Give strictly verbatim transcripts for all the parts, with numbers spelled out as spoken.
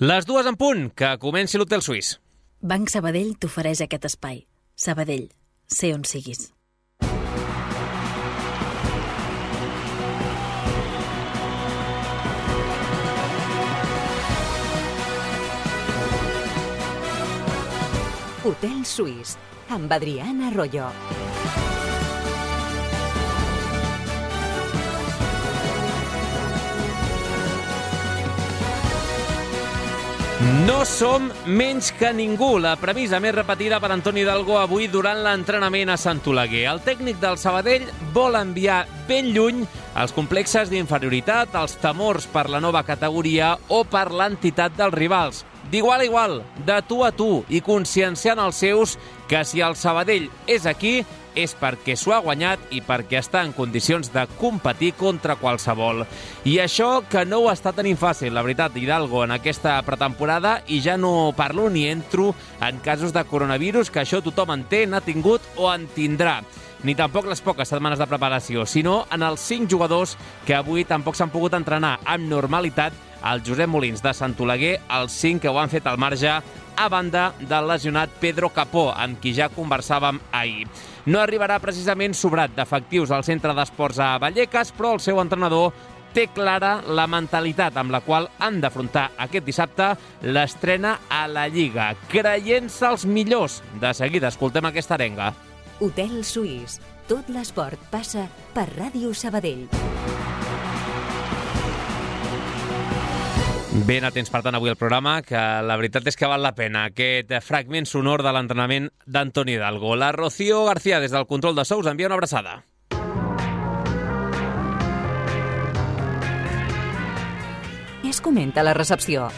Les dues en punt, que comenci l'Hotel Suís. Banc Sabadell t'ofereix aquest espai. Sabadell, sé on siguis. Hotel Suís, amb Adriana Arroyo. No som menys que ningú, la premissa més repetida per Antoni Hidalgo avui durant l'entrenament a Sant Oleguer. El tècnic del Sabadell vol enviar ben lluny els complexes d'inferioritat, els temors per la nova categoria o per l'entitat dels rivals. D'igual a igual, de tu a tu, i conscienciant els seus que si el Sabadell és aquí és perquè s'ho ha guanyat i perquè està en condicions de competir contra qualsevol. I això que no ho està tenint fàcil, la veritat, Hidalgo, en aquesta pretemporada, i ja no parlo ni entro en casos de coronavirus, que això tothom en té, n'ha tingut o en tindrà. Ni tampoc les poques setmanes de preparació, sinó en els cinc jugadors que avui tampoc s'han pogut entrenar amb normalitat al Josep Molins de Sant Oleguer, els cinc que ho han fet al marge, a banda del lesionat Pedro Capó, amb qui ja conversàvem ahir. No arribarà precisament sobrat d'efectius al centre d'esports a Vallecas, però el seu entrenador té clara la mentalitat amb la qual han d'afrontar aquest dissabte l'estrena a la Lliga, creient-se els millors. De seguida escoltem aquesta arenga. Hotel Suís. Tot l'esport passa per Ràdio Sabadell. Ben atents, per tant, avui al programa, que la veritat és que val la pena aquest fragment sonor de l'entrenament d'Antoni Hidalgo. La Rocío García, des del control de sous, envia una abraçada. Es comenta a la recepció.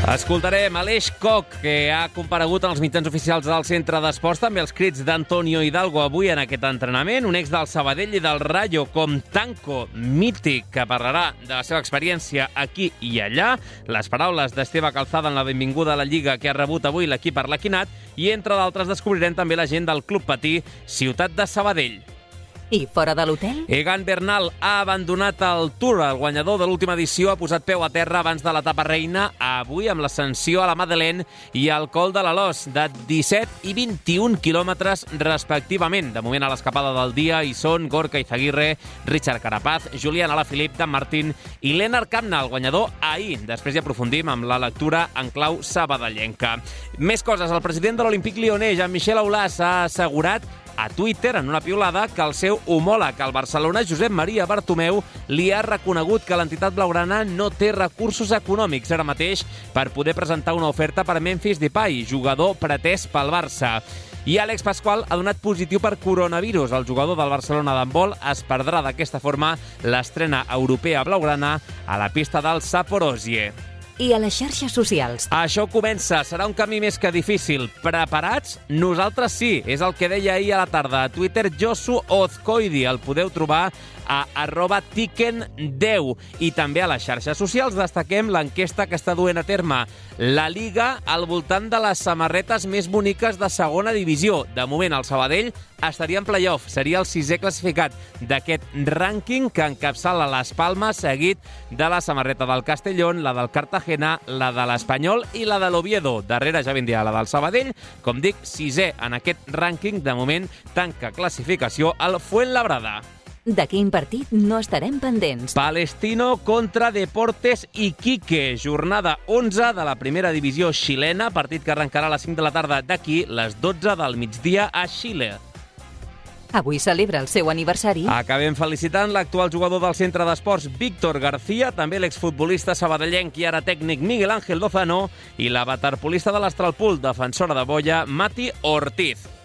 Escoltarem Aleix Koch, que ha comparegut en els mitjans oficials del centre d'esports, també els crits d'Antonio Hidalgo avui en aquest entrenament, un ex del Sabadell i del Rayo com Tanco, mític, que parlarà de la seva experiència aquí i allà, les paraules d'Esteve Calzada en la benvinguda a la Lliga que ha rebut avui l'equip arlequinat, i entre d'altres descobrirem també la gent del Club Patí, Ciutat de Sabadell. I fora de l'hotel? Egan Bernal ha abandonat el Tour. El guanyador de l'última edició ha posat peu a terra abans de l'etapa reina, avui amb l'ascensió a la Madeleine i al Col de l'Alòs, de disset i vint-i-un quilòmetres respectivament. De moment a l'escapada del dia hi són Gorka Izaguirre, Richard Carapaz, Julián Alaphilippe, Dan Martín i Lennart Kamna, el guanyador ahir. Després hi aprofundim amb la lectura en clau sabadellenca. Més coses. El president de l'Olímpic Lyonnais, Jean-Michel Aulas, ha assegurat a Twitter, en una piulada, que el seu homòleg al Barcelona, Josep Maria Bartomeu, li ha reconegut que l'entitat blaugrana no té recursos econòmics ara mateix per poder presentar una oferta per Memphis Depay, jugador pretès pel Barça. I Àlex Pascual ha donat positiu per coronavirus. El jugador del Barcelona d'handbol es perdrà d'aquesta forma l'estrena europea blaugrana a la pista del Zaporozhye. I a les xarxes socials. Això comença, serà un camí més que difícil. Preparats? Nosaltres sí, és el que deia ahir a la tarda a Twitter Josu Ozcoidi. El podeu trobar a arroba tiken deu. I també a les xarxes socials destaquem l'enquesta que està duent a terme la Liga al voltant de les samarretes més boniques de segona divisió. De moment el Sabadell estaria en playoff, seria el sisè classificat d'aquest rànquing que encapçala les Palmes, seguit de la samarreta del Castellón, la del Cartagena, la de l'Espanyol i la de l'Oviedo. Darrere ja vindria la del Sabadell, com dic, sisè en aquest rànquing. De moment tanca classificació el Fuenlabrada. De quin partit no estarem pendents? Palestino contra Deportes Iquique, jornada onze de la primera divisió xilena, partit que arrencarà a les cinc de la tarda d'aquí, les dotze del migdia a Xile. Avui celebra el seu aniversari. Acabem felicitant l'actual jugador del centre d'esports Víctor García, també l'exfutbolista sabadellenc i ara tècnic Miguel Ángel Lozano i la waterpolista de l'Astralpool, defensora de boia, Mati Ortiz.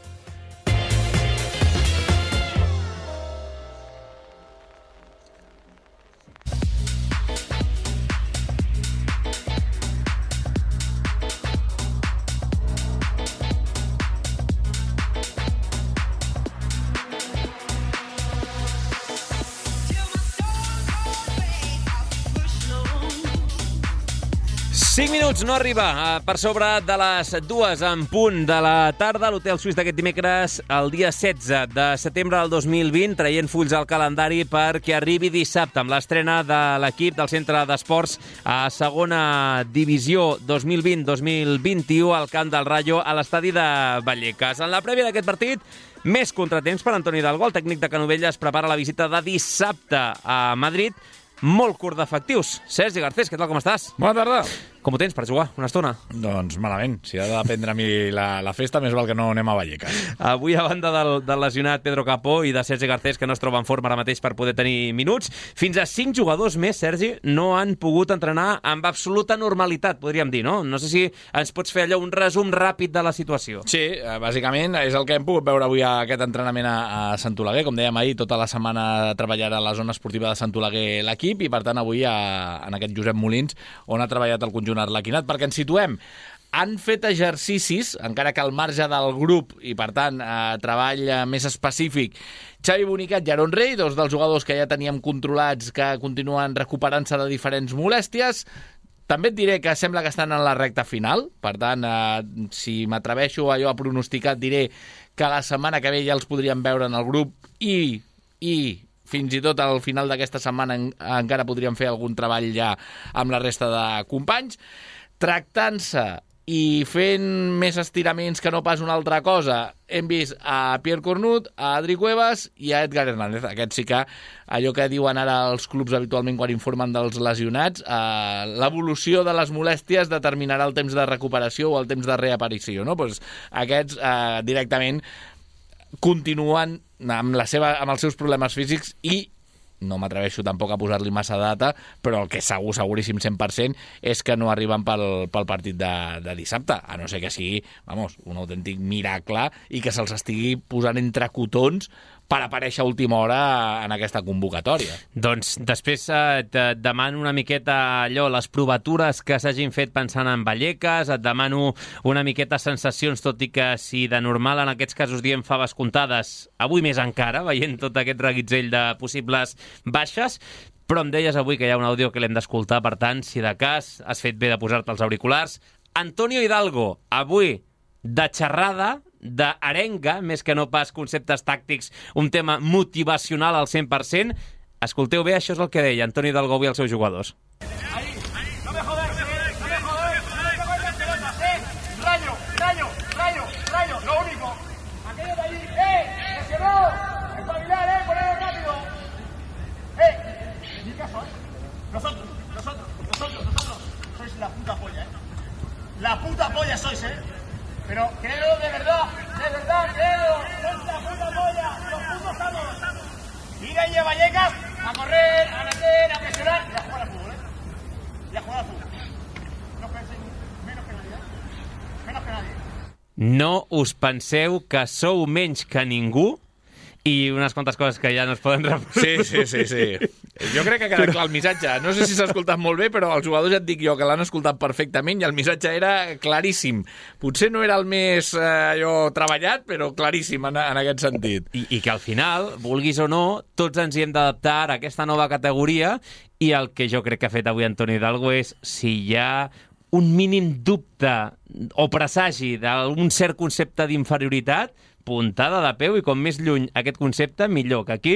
cinc minuts, no arriba per sobre de les dues en punt de la tarda a l'Hotel Suís d'aquest dimecres, el dia setze de setembre del dos mil vint, traient fulls al calendari perquè arribi dissabte amb l'estrena de l'equip del Centre d'Esports a segona divisió dos mil vint dos mil vint-i-u al Camp del Rayo a l'estadi de Vallecas. En la prèvia d'aquest partit, més contratemps per Antoni Hidalgo. El tècnic de Canovelles prepara la visita de dissabte a Madrid, molt curt d'efectius. Sergi Garcés, què tal, com estàs? Bona tarda. Com ho tens per jugar una estona? Doncs malament. Si ha de dependre a mi la, la festa, més val que no anem a Vallecas. Avui, a banda del, del lesionat Pedro Capó i de Sergi Garcés, que no es troba en forma ara mateix per poder tenir minuts, fins a cinc jugadors més, Sergi, no han pogut entrenar amb absoluta normalitat, podríem dir, no? No sé si ens pots fer allò un resum ràpid de la situació. Sí, bàsicament és el que hem pogut veure avui a aquest entrenament a, a Sant Oleguer. Com dèiem ahir, tota la setmana treballarà a la zona esportiva de Sant Oleguer l'equip i, per tant, avui a, en aquest Josep Molins, on ha treballat el conjunt arlequinat, perquè ens situem. Han fet exercicis, encara que al marge del grup, i per tant, eh, treball més específic, Xavi Bonicat i Aaron Rey, dos dels jugadors que ja teníem controlats, que continuen recuperant-se de diferents molèsties. També et diré que sembla que estan en la recta final, per tant, eh, si m'atreveixo allò a pronosticar, et diré que la setmana que ve ja els podríem veure en el grup i... i fins i tot al final d'aquesta setmana en, encara podríem fer algun treball ja amb la resta de companys. Tractant-se i fent més estiraments que no pas una altra cosa, hem vist a Pierre Cornut, a Adri Cuevas i a Edgar Hernández. Aquest sí que, allò que diuen ara els clubs habitualment quan informen dels lesionats, eh, l'evolució de les molèsties determinarà el temps de recuperació o el temps de reaparició, no? Pues aquests eh, directament continuen amb, la seva, amb els seus problemes físics i no m'atreveixo tampoc a posar-li massa data, però el que segur, seguríssim cent per cent és que no arriben pel, pel partit de, de dissabte, a no ser que sigui, vamos, un autèntic miracle i que se'ls estigui posant entre cotons per aparèixer a última hora en aquesta convocatòria. Doncs després eh, et demano una miqueta allò, les provatures que s'hagin fet pensant en Vallecas, et demano una miqueta sensacions, tot i que si de normal en aquests casos diem faves comptades, avui més encara, veient tot aquest reguitzell de possibles baixes, però em deies avui que hi ha un àudio que l'hem d'escoltar, per tant, si de cas has fet bé de posar-te els auriculars. Antonio Hidalgo, avui, de xerrada, d'arenga, més que no pas conceptes tàctics, un tema motivacional al cent per cent. Escolteu bé, això és el que deia Antoni Hidalgo avui als seus jugadors. Ahí, no me jodas, no me jodas, no me cojas pelotas, eh. Rayo, rayo, rayo, rayo, lo único. Aquello de allí, eh, lesionado, espabilar, eh, ponelo rápido. Eh, ni caso, eh. Nosotros, nosotros, nosotros, nosotros, sois la puta polla, eh. La puta polla sois, eh. Pero creo de verdad, de verdad, creo, sois la puta polla, los putos estamos. Ir ahí a Vallecas a correr, a meter, a presionar y a jugar al fútbol, ¿eh? Y a jugar al fútbol. No penséis menos que nadie, ¿eh? Menos que nadie. No us penseu que sou menys que ningú i unes quantes coses que ja no es poden reproduir. Sí, sí, sí, sí. Jo crec que ha quedat clar el missatge. No sé si s'ha escoltat molt bé, però els jugadors ja et dic jo que l'han escoltat perfectament i el missatge era claríssim. Potser no era el més eh, allò treballat, però claríssim en, en aquest sentit. I, I que al final, vulguis o no, tots ens hi hem d'adaptar a aquesta nova categoria i el que jo crec que ha fet avui Antoni Hidalgo és si hi ha un mínim dubte o presagi d'un cert concepte d'inferioritat, puntada de peu i com més lluny aquest concepte, millor, que aquí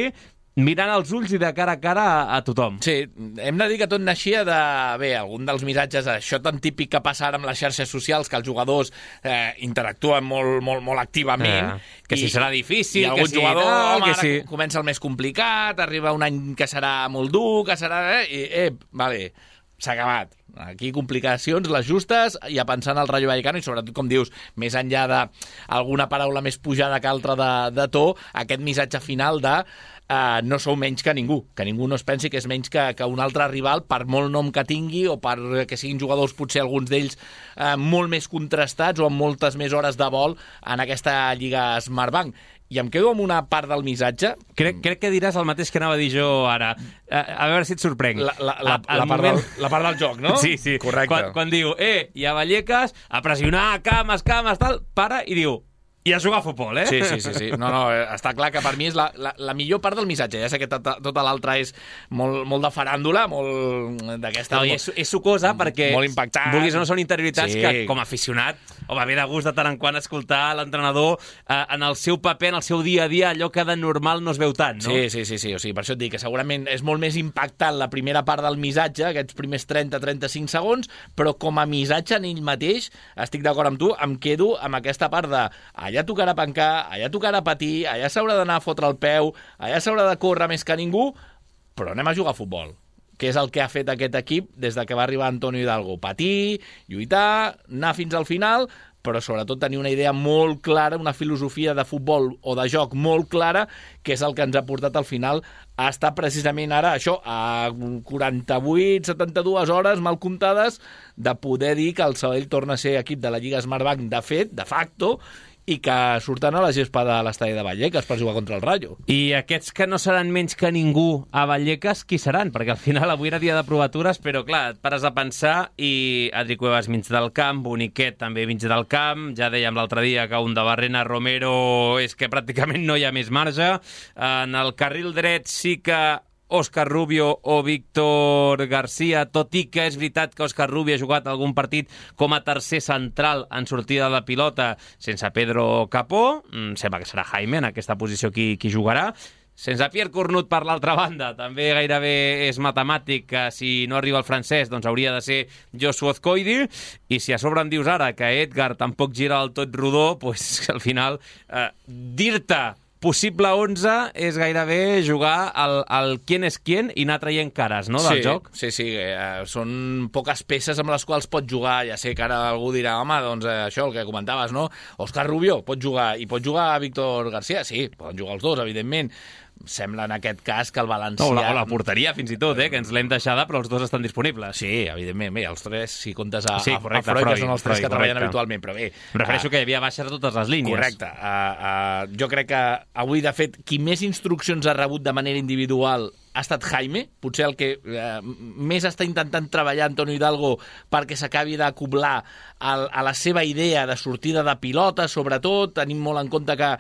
mirant als ulls i de cara a cara a, a tothom. Sí, hem de dir que tot naixia de... Bé, algun dels missatges, això tan típic que passa ara amb les xarxes socials, que els jugadors eh, interactuen molt, molt, molt activament. Eh, que i, si serà difícil, i algun que si... jugador, no, home, que ara si... comença el més complicat, arriba un any que serà molt dur, que serà... Eh, i, eh, vale, s'ha acabat. Aquí complicacions, les justes, i a pensar en el Rayo Vallecano, i sobretot, com dius, més enllà d'alguna paraula més pujada que altra de, de to, aquest missatge final de uh, no sou menys que ningú, que ningú no es pensi que és menys que, que un altre rival, per molt nom que tingui, o per que siguin jugadors, potser alguns d'ells, uh, molt més contrastats o amb moltes més hores de vol en aquesta Lliga Smartbank. I em quedo amb una part del missatge. Crec, crec que diràs el mateix que anava a dir jo ara. A, a veure si et sorprenc. La, la, la, a, la, part moment... del, la part del joc, no? Sí, sí. Correcte. Quan, quan diu, eh, hi ha Vallecas, a pressionar, cames, cames, tal, para i diu, I a jugar a futbol, eh? Sí, sí, sí, sí. No, no, està clar que per mi és la, la, la millor part del missatge. Ja sé que tota, tota l'altra és molt, molt de faràndula, molt d'aquesta... No, i és, és sucosa perquè, molt impactant. vulguis o no, són interioritats sí. que, com a aficionat, home, ve de gust de tant en quant escoltar l'entrenador eh, en el seu paper, en el seu dia a dia, allò que de normal no es veu tant, no? Sí, sí, sí, sí. O sigui, per això et dic que segurament és molt més impactant la primera part del missatge, aquests primers trenta a trenta-cinc segons, però com a missatge en ell mateix, estic d'acord amb tu, em quedo amb aquesta part de allà tocarà pencar, allà tocarà patir, allà s'haurà d'anar a fotre el peu, allà s'haurà de córrer més que ningú, però anem a jugar a futbol, que és el que ha fet aquest equip des de que va arribar Antonio Hidalgo. Patir, lluitar, anar fins al final, però sobretot tenir una idea molt clara, una filosofia de futbol o de joc molt clara, que és el que ens ha portat al final a estar precisament ara, això, a quaranta-vuit setanta-dues hores mal comptades de poder dir que el Sabadell torna a ser equip de la Lliga Smartbank de fet, de facto, i que surten a la gespa de l'estadi de Vallecas per jugar contra el Rayo. I aquests que no seran menys que ningú a Vallecas, qui seran? Perquè al final avui era dia de provatures, però clar, et pares a pensar i Adri Cuevas mig del camp, Boniquet també mig del camp, ja dèiem l'altre dia que un de Barrena, Romero, és que pràcticament no hi ha més marge. En el carril dret sí que Òscar Rubio o Víctor García, tot i que és veritat que Òscar Rubio ha jugat algun partit com a tercer central en sortida de pilota sense Pedro Capó, mm, sembla que serà Jaime en aquesta posició qui, qui jugarà. Sense Pierre Cornut per l'altra banda, també gairebé és matemàtic que si no arriba el francès doncs hauria de ser Joshua Azcoidi, i si a sobre em dius ara que Edgar tampoc gira del tot rodó, doncs al final eh, dir-te possible onze és gairebé jugar al, al quién és quién i anar traient cares, no, del sí, joc? Sí, sí, eh, són poques peces amb les quals pot jugar. Ja sé que ara algú dirà, home, doncs eh, això, el que comentaves, no? Òscar Rubio pot jugar, i pot jugar a Víctor García? Sí, poden jugar els dos, evidentment. Sembla en aquest cas que el valencià... No, la, la porteria fins i tot, eh, que ens l'hem deixada, però els dos estan disponibles. Sí, evidentment, bé, els tres, si comptes a, sí, correcte, a Freud, Freud, que són els tres Freud, que treballen correcte. habitualment, però bé... Em refereixo uh, que hi havia baixes a totes les línies. Correcte. Uh, uh, jo crec que avui, de fet, qui més instruccions ha rebut de manera individual ha estat Jaime, potser el que eh, més està intentant treballar Antonio Hidalgo perquè s'acabi d'acoblar a la seva idea de sortida de pilota, sobretot, tenim molt en compte que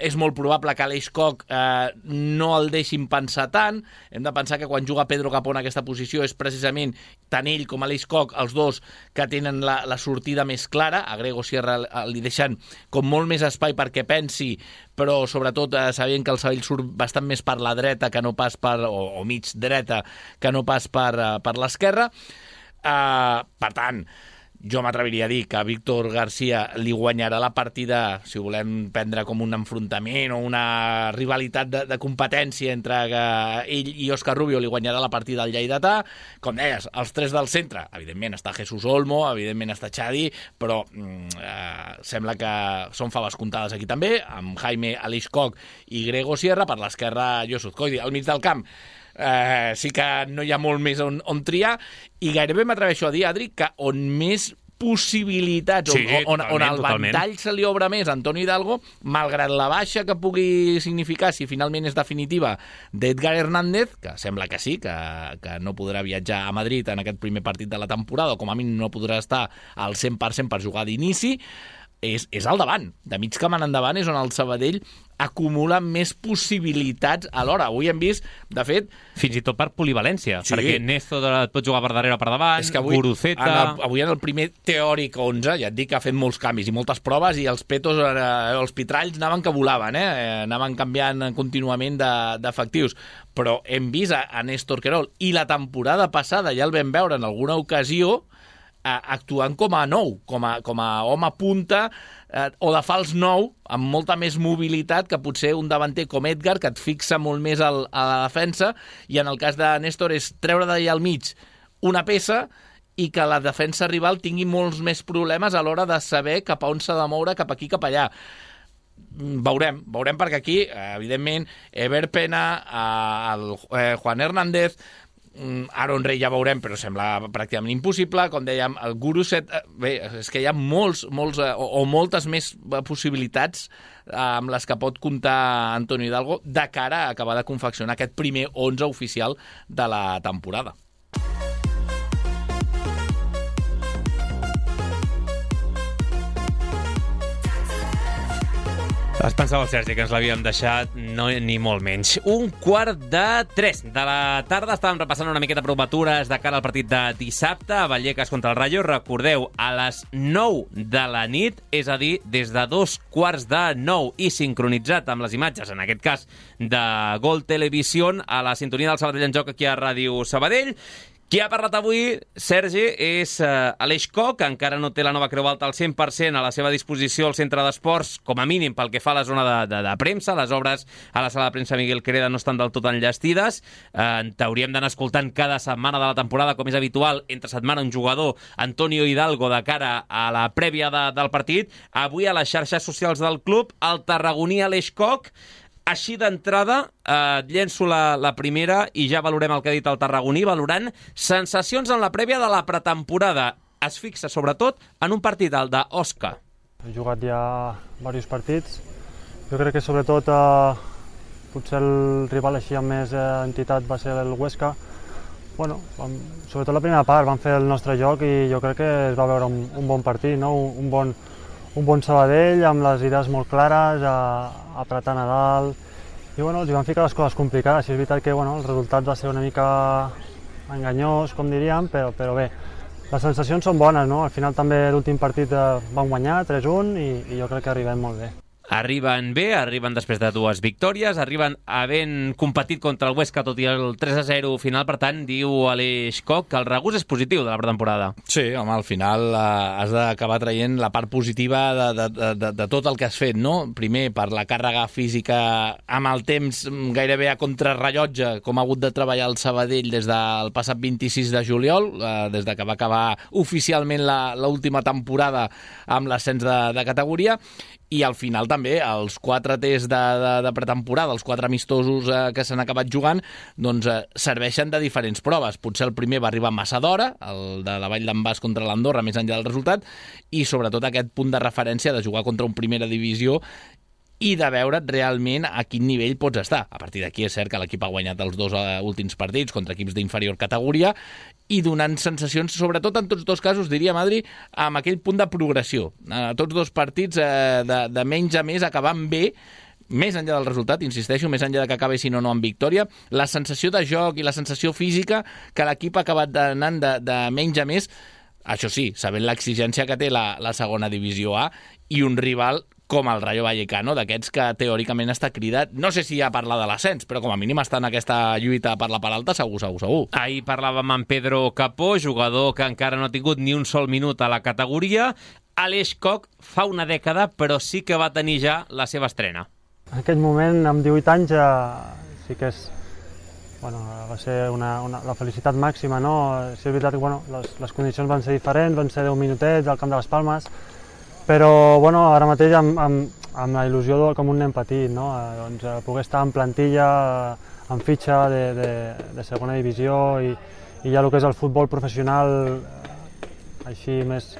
és molt probable que Aleix Koch eh, no el deixin pensar tant. Hem de pensar que quan juga Pedro Capó en aquesta posició és precisament tant ell com Aleix Koch, els dos que tenen la, la sortida més clara. A Grego Sierra li deixen com molt més espai perquè pensi, però sobretot eh, sabent que el Sabadell surt bastant més per la dreta que no pas per, o, o mig dreta que no pas per, uh, per l'esquerra. Uh, per tant, jo m'atreviria a dir que Víctor García li guanyarà la partida, si ho volem prendre com un enfrontament o una rivalitat de, de competència entre que ell i Òscar Rubio, li guanyarà la partida al lleidatà. Com deies, els tres del centre, evidentment està Jesús Olmo, evidentment està Xadi, però mm, eh, sembla que són faves comptades aquí també, amb Jaime, Aleix Koch i Grego Sierra, per l'esquerra Joshua Azcoidi. Al mig del camp Eh, sí que no hi ha molt més on, on triar, i gairebé m'atreveixo a dir, Adri, que on més possibilitats, sí, on, on, on el totalment. ventall se li obre més a Antonio Hidalgo, malgrat la baixa que pugui significar, si finalment és definitiva, d'Edgar Hernández, que sembla que sí, que, que no podrà viatjar a Madrid en aquest primer partit de la temporada, o com a mínim no podrà estar al cent per cent per jugar d'inici, és, és al davant. De mig camp en endavant és on el Sabadell acumula més possibilitats alhora. Avui hem vist, de fet... Fins i tot per polivalència, sí, perquè Néstor et pot jugar per darrere o per davant, és que avui, Guruceta... En el, avui en el primer teòric onze, ja et dic que ha fet molts canvis i moltes proves, i els petos, eh, els pitralls anaven que volaven, eh? Anaven canviant contínuament d'efectius. De, però hem vist a, a Néstor Querol, i la temporada passada ja el vam veure en alguna ocasió, actuant com a nou, com a, com a home punta eh, o de fals nou, amb molta més mobilitat que potser un davanter com Edgar, que et fixa molt més al, a la defensa, i en el cas de Néstor és treure d'allà al mig una peça i que la defensa rival tingui molts més problemes a l'hora de saber cap a on s'ha de moure, cap aquí, cap allà. Veurem, veurem perquè aquí, evidentment, Ever Pena, el eh, Juan Hernández, Aaron Rey ja veurem, però sembla pràcticament impossible. Com dèiem, el Guruset, bé, és que hi ha molts, molts o, o moltes més possibilitats amb les que pot comptar Antonio Hidalgo de cara a acabar de confeccionar aquest primer onze oficial de la temporada. Es pensava el Sergi que ens l'havíem deixat, no, ni molt menys. Un quart de tres de la tarda. Estàvem repassant una miqueta provatures de cara al partit de dissabte a Vallecas contra el Rayo. Recordeu, a les nou de la nit, és a dir, des de dos quarts de nou i sincronitzat amb les imatges, en aquest cas, de Gol Televisión, a la sintonia del Sabadell en Joc aquí a Ràdio Sabadell. Qui ha parlat avui, Sergi, és uh, Aleix Koch, que encara no té la nova Creu Alta al cent per cent a la seva disposició al centre d'esports, com a mínim pel que fa a la zona de, de, de premsa. Les obres a la sala de premsa Miguel Quereda no estan del tot enllestides. Uh, T'hauríem d'anar escoltant cada setmana de la temporada, com és habitual, entre setmana un jugador, Antonio Hidalgo, de cara a la prèvia de, del partit. Avui a les xarxes socials del club, el tarragoní Aleix Koch. Així d'entrada, eh, llenço la, la primera i ja valorem el que ha dit el tarragoní, valorant sensacions en la prèvia de la pretemporada. Es fixa, sobretot, en un partit, el d'Osca. He jugat ja diversos partits. Jo crec que, sobretot, eh, potser el rival així amb més eh, entitat va ser el Huesca. Bueno, vam, sobretot la primera part, vam fer el nostre joc i jo crec que es va veure un, un bon partit, no? un, un bon... un bon Sabadell, amb les idees molt clares, a, apretant a dalt, i bueno, els hi van ficar les coses complicades. I és veritat que bueno, el resultat va ser una mica enganyós, com diríem, però, però bé, les sensacions són bones, no? Al final també l'últim partit eh, van guanyar tres a un i, i jo crec que arribem molt bé. Arriben bé, arriben després de dues victòries, arriben havent competit contra el Huesca, tot i el tres a zero final. Per tant, diu Aleix Koch que el regús és positiu de la pretemporada. Sí, home, al final eh, has d'acabar traient la part positiva de, de, de, de tot el que has fet, no? Primer, per la càrrega física amb el temps gairebé a contrarrellotge, com ha hagut de treballar el Sabadell des del passat vint-i-sis de juliol, eh, des de que va acabar oficialment l'última temporada amb l'ascens de, de categoria. I al final també els quatre tests de, de, de pretemporada, els quatre amistosos eh, que s'han acabat jugant, doncs eh, serveixen de diferents proves. Potser el primer va arribar massa d'hora, el de la Vall d'en Bas contra l'Andorra, més enllà del resultat, i sobretot aquest punt de referència de jugar contra un primera divisió i de veure realment a quin nivell pots estar. A partir d'aquí és cert que l'equip ha guanyat els dos uh, últims partits contra equips d'inferior categoria i donant sensacions, sobretot en tots dos casos, diria Madri, amb aquell punt de progressió. Uh, tots dos partits uh, de, de menys a més acabant bé, més enllà del resultat, insisteixo, més enllà de que acabessin o no amb victòria, la sensació de joc i la sensació física que l'equip ha acabat anant de, de menys a més, això sí, sabent l'exigència que té la, la segona divisió A i un rival com el Rayo Vallecano, d'aquests que teòricament està cridat, no sé si ja parla de l'ascens, però com a mínim està en aquesta lluita per la part alta, segur, segur, segur. Ahir parlàvem amb Pedro Capó, jugador que encara no ha tingut ni un sol minut a la categoria. Aleix Koch fa una dècada, però sí que va tenir ja la seva estrena. En aquell moment, amb divuit anys, eh, sí que és, bueno, va ser una, una, la felicitat màxima, no? Sí, és veritat que bueno, les, les condicions van ser diferents, van ser deu minutets al camp de les Palmes, però bueno, ara mateix amb, amb, amb la il·lusió de, com un nen petit, no? Eh, doncs, eh, poder estar en plantilla, eh, en fitxa de, de, de segona divisió i, i ja el que és el futbol professional eh, així més,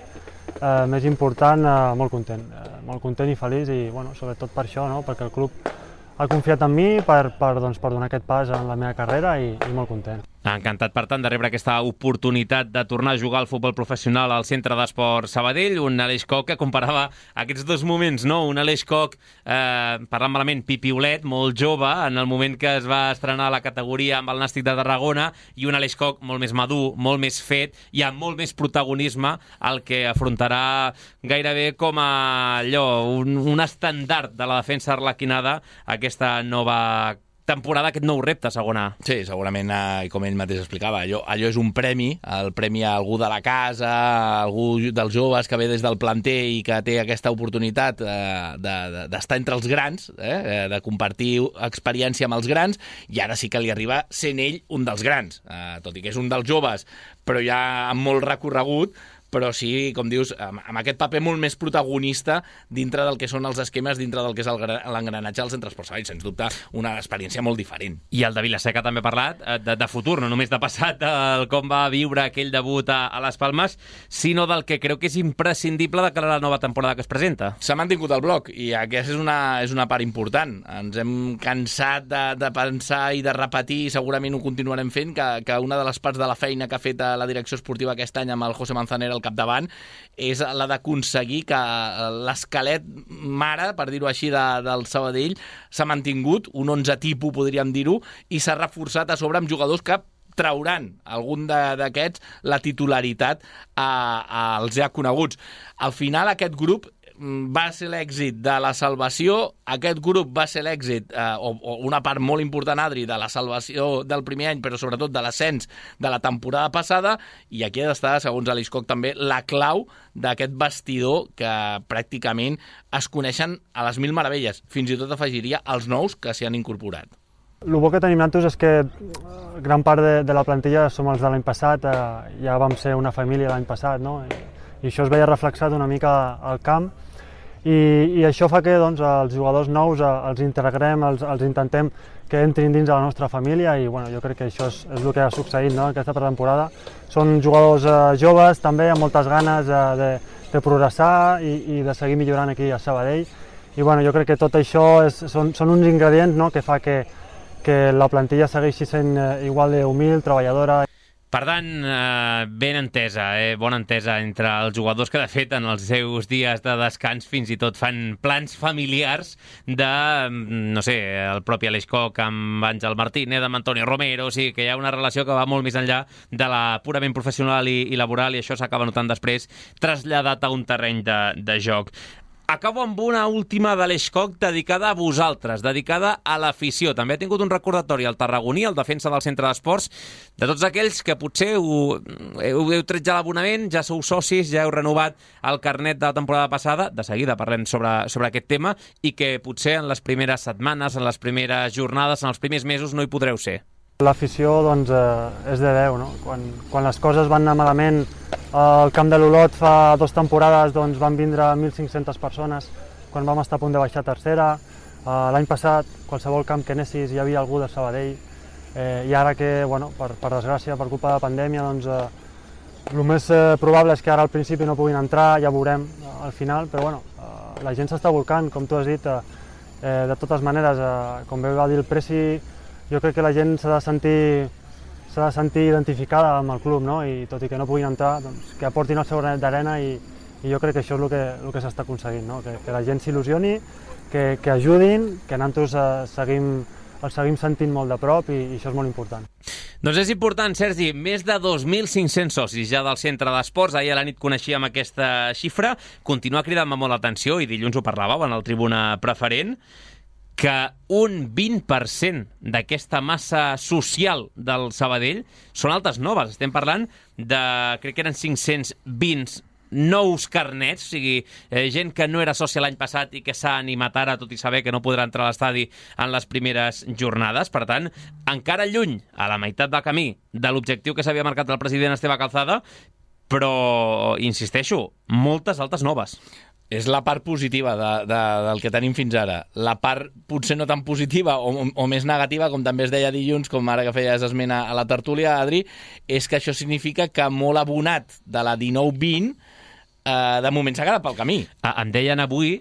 eh, més important, eh, molt content, eh, molt content i feliç i bueno, sobretot per això, no? Perquè el club ha confiat en mi per, per, doncs, per donar aquest pas en la meva carrera i, i molt content. Encantat, per tant, de rebre aquesta oportunitat de tornar a jugar al futbol professional al Centre d'Esport Sabadell, un Aleix Koch que comparava aquests dos moments, no? Un Aleix Koch, eh, parlant malament, pipiolet, molt jove, en el moment que es va estrenar la categoria amb el Nàstic de Tarragona, i un Aleix Koch molt més madur, molt més fet i amb molt més protagonisme, el que afrontarà gairebé com a allò, un, un estandard de la defensa arlequinada, aquesta nova temporada, aquest nou repte, segona. Sí, segurament, eh, com ell mateix explicava, allò, allò és un premi, el premi a algú de la casa, a algú dels joves que ve des del planter i que té aquesta oportunitat eh, d'estar de, de, entre els grans, eh, de compartir experiència amb els grans, i ara sí que li arriba sent ell un dels grans, eh, tot i que és un dels joves, però ja amb molt recorregut, però sí, com dius, amb, amb aquest paper molt més protagonista dintre del que són els esquemes, dintre del que és l'engranatge del Centre Esport Sabadell. Sens dubte, una experiència molt diferent. I el de Vilaseca també ha parlat de, de futur, no només de passat, del com va viure aquell debut a, a les Palmes, sinó del que creu que és imprescindible de cara a la nova temporada que es presenta. S'ha mantingut el bloc, i aquesta és una, és una part important. Ens hem cansat de, de pensar i de repetir, i segurament ho continuarem fent, que, que una de les parts de la feina que ha fet la direcció esportiva aquest any amb el José Manzanera al capdavant, és la d'aconseguir que l'esquelet mare, per dir-ho així, de, del Sabadell s'ha mantingut, un onze tipus, podríem dir-ho, i s'ha reforçat a sobre amb jugadors que trauran algun d'aquests la titularitat a, a, als ja coneguts. Al final, aquest grup va ser l'èxit de la salvació, aquest grup va ser l'èxit, eh, o, o una part molt important, Adri, de la salvació del primer any, però sobretot de l'ascens de la temporada passada, i aquí ha d'estar, segons Aleix Koch, també la clau d'aquest vestidor que pràcticament es coneixen a les mil meravelles. Fins i tot afegiria els nous que s'hi han incorporat. El bo que tenim nosaltres és que gran part de, de la plantilla som els de l'any passat, eh, ja vam ser una família l'any passat, no? I, i això es veia reflexat una mica al camp, i, i això fa que doncs, els jugadors nous eh, els integrem, els, els intentem que entrin dins de la nostra família, i bueno, jo crec que això és, és el que ha succeït, no? Aquesta pretemporada. Són jugadors eh, joves també, amb moltes ganes eh, de, de progressar i, i de seguir millorant aquí a Sabadell, i bueno, jo crec que tot això és, són, són uns ingredients, no? Que fa que que la plantilla segueixi sent igual d'humil, treballadora. Per tant, eh, ben entesa, eh, bona entesa entre els jugadors que, de fet, en els seus dies de descans fins i tot fan plans familiars de, no sé, el propi Aleix Koch amb Àngel Martínez, amb Antonio Romero, o sigui que hi ha una relació que va molt més enllà de la purament professional i, i laboral, i això s'acaba notant després traslladat a un terreny de, de joc. Acabo amb una última d'Aleix Koch dedicada a vosaltres, dedicada a l'afició. També ha tingut un recordatori al tarragoní, el defensa del centre d'esports, de tots aquells que potser heu, heu, heu tret ja l'abonament, ja sou socis, ja heu renovat el carnet de la temporada passada, de seguida parlem sobre, sobre aquest tema, i que potser en les primeres setmanes, en les primeres jornades, en els primers mesos no hi podreu ser. L'afició doncs, eh, és de Déu, no? Quan, quan les coses van anar malament, al camp de l'Olot fa dues temporades doncs, van vindre mil cinc-centes persones quan vam estar a punt de baixar a tercera. Eh, L'any passat, qualsevol camp que anessis hi havia algú de Sabadell, eh, i ara que, bueno, per, per desgràcia, per culpa de la pandèmia, doncs, eh, el més eh, probable és que ara al principi no puguin entrar, ja veurem eh, al final, però bueno, eh, la gent s'està volcant, com tu has dit, eh, eh, de totes maneres, eh, com bé va dir el Presi, jo crec que la gent s'ha de sentir s'ha de sentir identificada amb el club, no? I tot i que no puguin entrar, doncs, que aportin el seu granet d'arena, i, i jo crec que això és el que, el que s'està aconseguint, no? Que, que la gent s'il·lusioni, que, que ajudin, que nosaltres eh, seguim, els seguim sentint molt de prop, i, i això és molt important. Doncs és important, Sergi, més de dos mil cinc-cents socis ja del centre d'esports. Ahir a la nit coneixíem aquesta xifra, continua cridant-me molt l'atenció, i dilluns ho parlàveu en el Tribuna Preferent, que un vint per cent d'aquesta massa social del Sabadell són altes noves. Estem parlant de, crec que eren cinc-cents vint nous carnets, o sigui, eh, gent que no era sòcia l'any passat i que s'ha animat ara, tot i saber que no podrà entrar a l'estadi en les primeres jornades. Per tant, encara lluny, a la meitat del camí, de l'objectiu que s'havia marcat el president Esteve Calzada, però, insisteixo, moltes altes noves. És la part positiva de, de, del que tenim fins ara. La part potser no tan positiva o, o més negativa, com també es deia dilluns, com ara que feies esment a la tertúlia, Adri, és que això significa que molt abonat de la dinou vint eh, de moment s'ha quedat pel camí. Em deien avui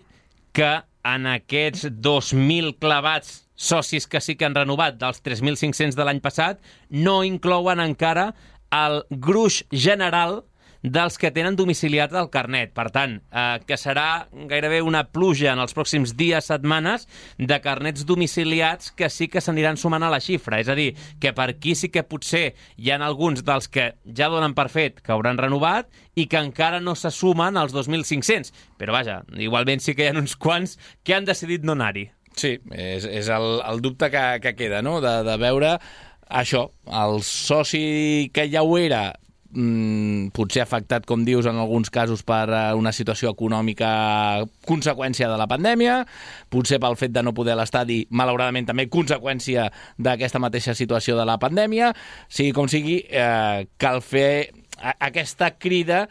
que en aquests dos mil clavats socis que sí que han renovat dels tres mil cinc-cents de l'any passat, no inclouen encara el gruix general dels que tenen domiciliat el carnet. Per tant, eh, que serà gairebé una pluja en els pròxims dies, setmanes, de carnets domiciliats que sí que s'aniran sumant a la xifra. És a dir, que per aquí sí que potser hi ha alguns dels que ja donen per fet que hauran renovat i que encara no se sumen als dos mil cinc-cents. Però vaja, igualment sí que hi ha uns quants que han decidit no anar-hi. Sí, és, és el, el dubte que, que queda, no? De, de veure això, el soci que ja ho era, Mm, potser afectat, com dius, en alguns casos per una situació econòmica conseqüència de la pandèmia, potser pel fet de no poder a l'estadi, malauradament també conseqüència d'aquesta mateixa situació de la pandèmia. Sigui com sigui, eh, cal fer aquesta crida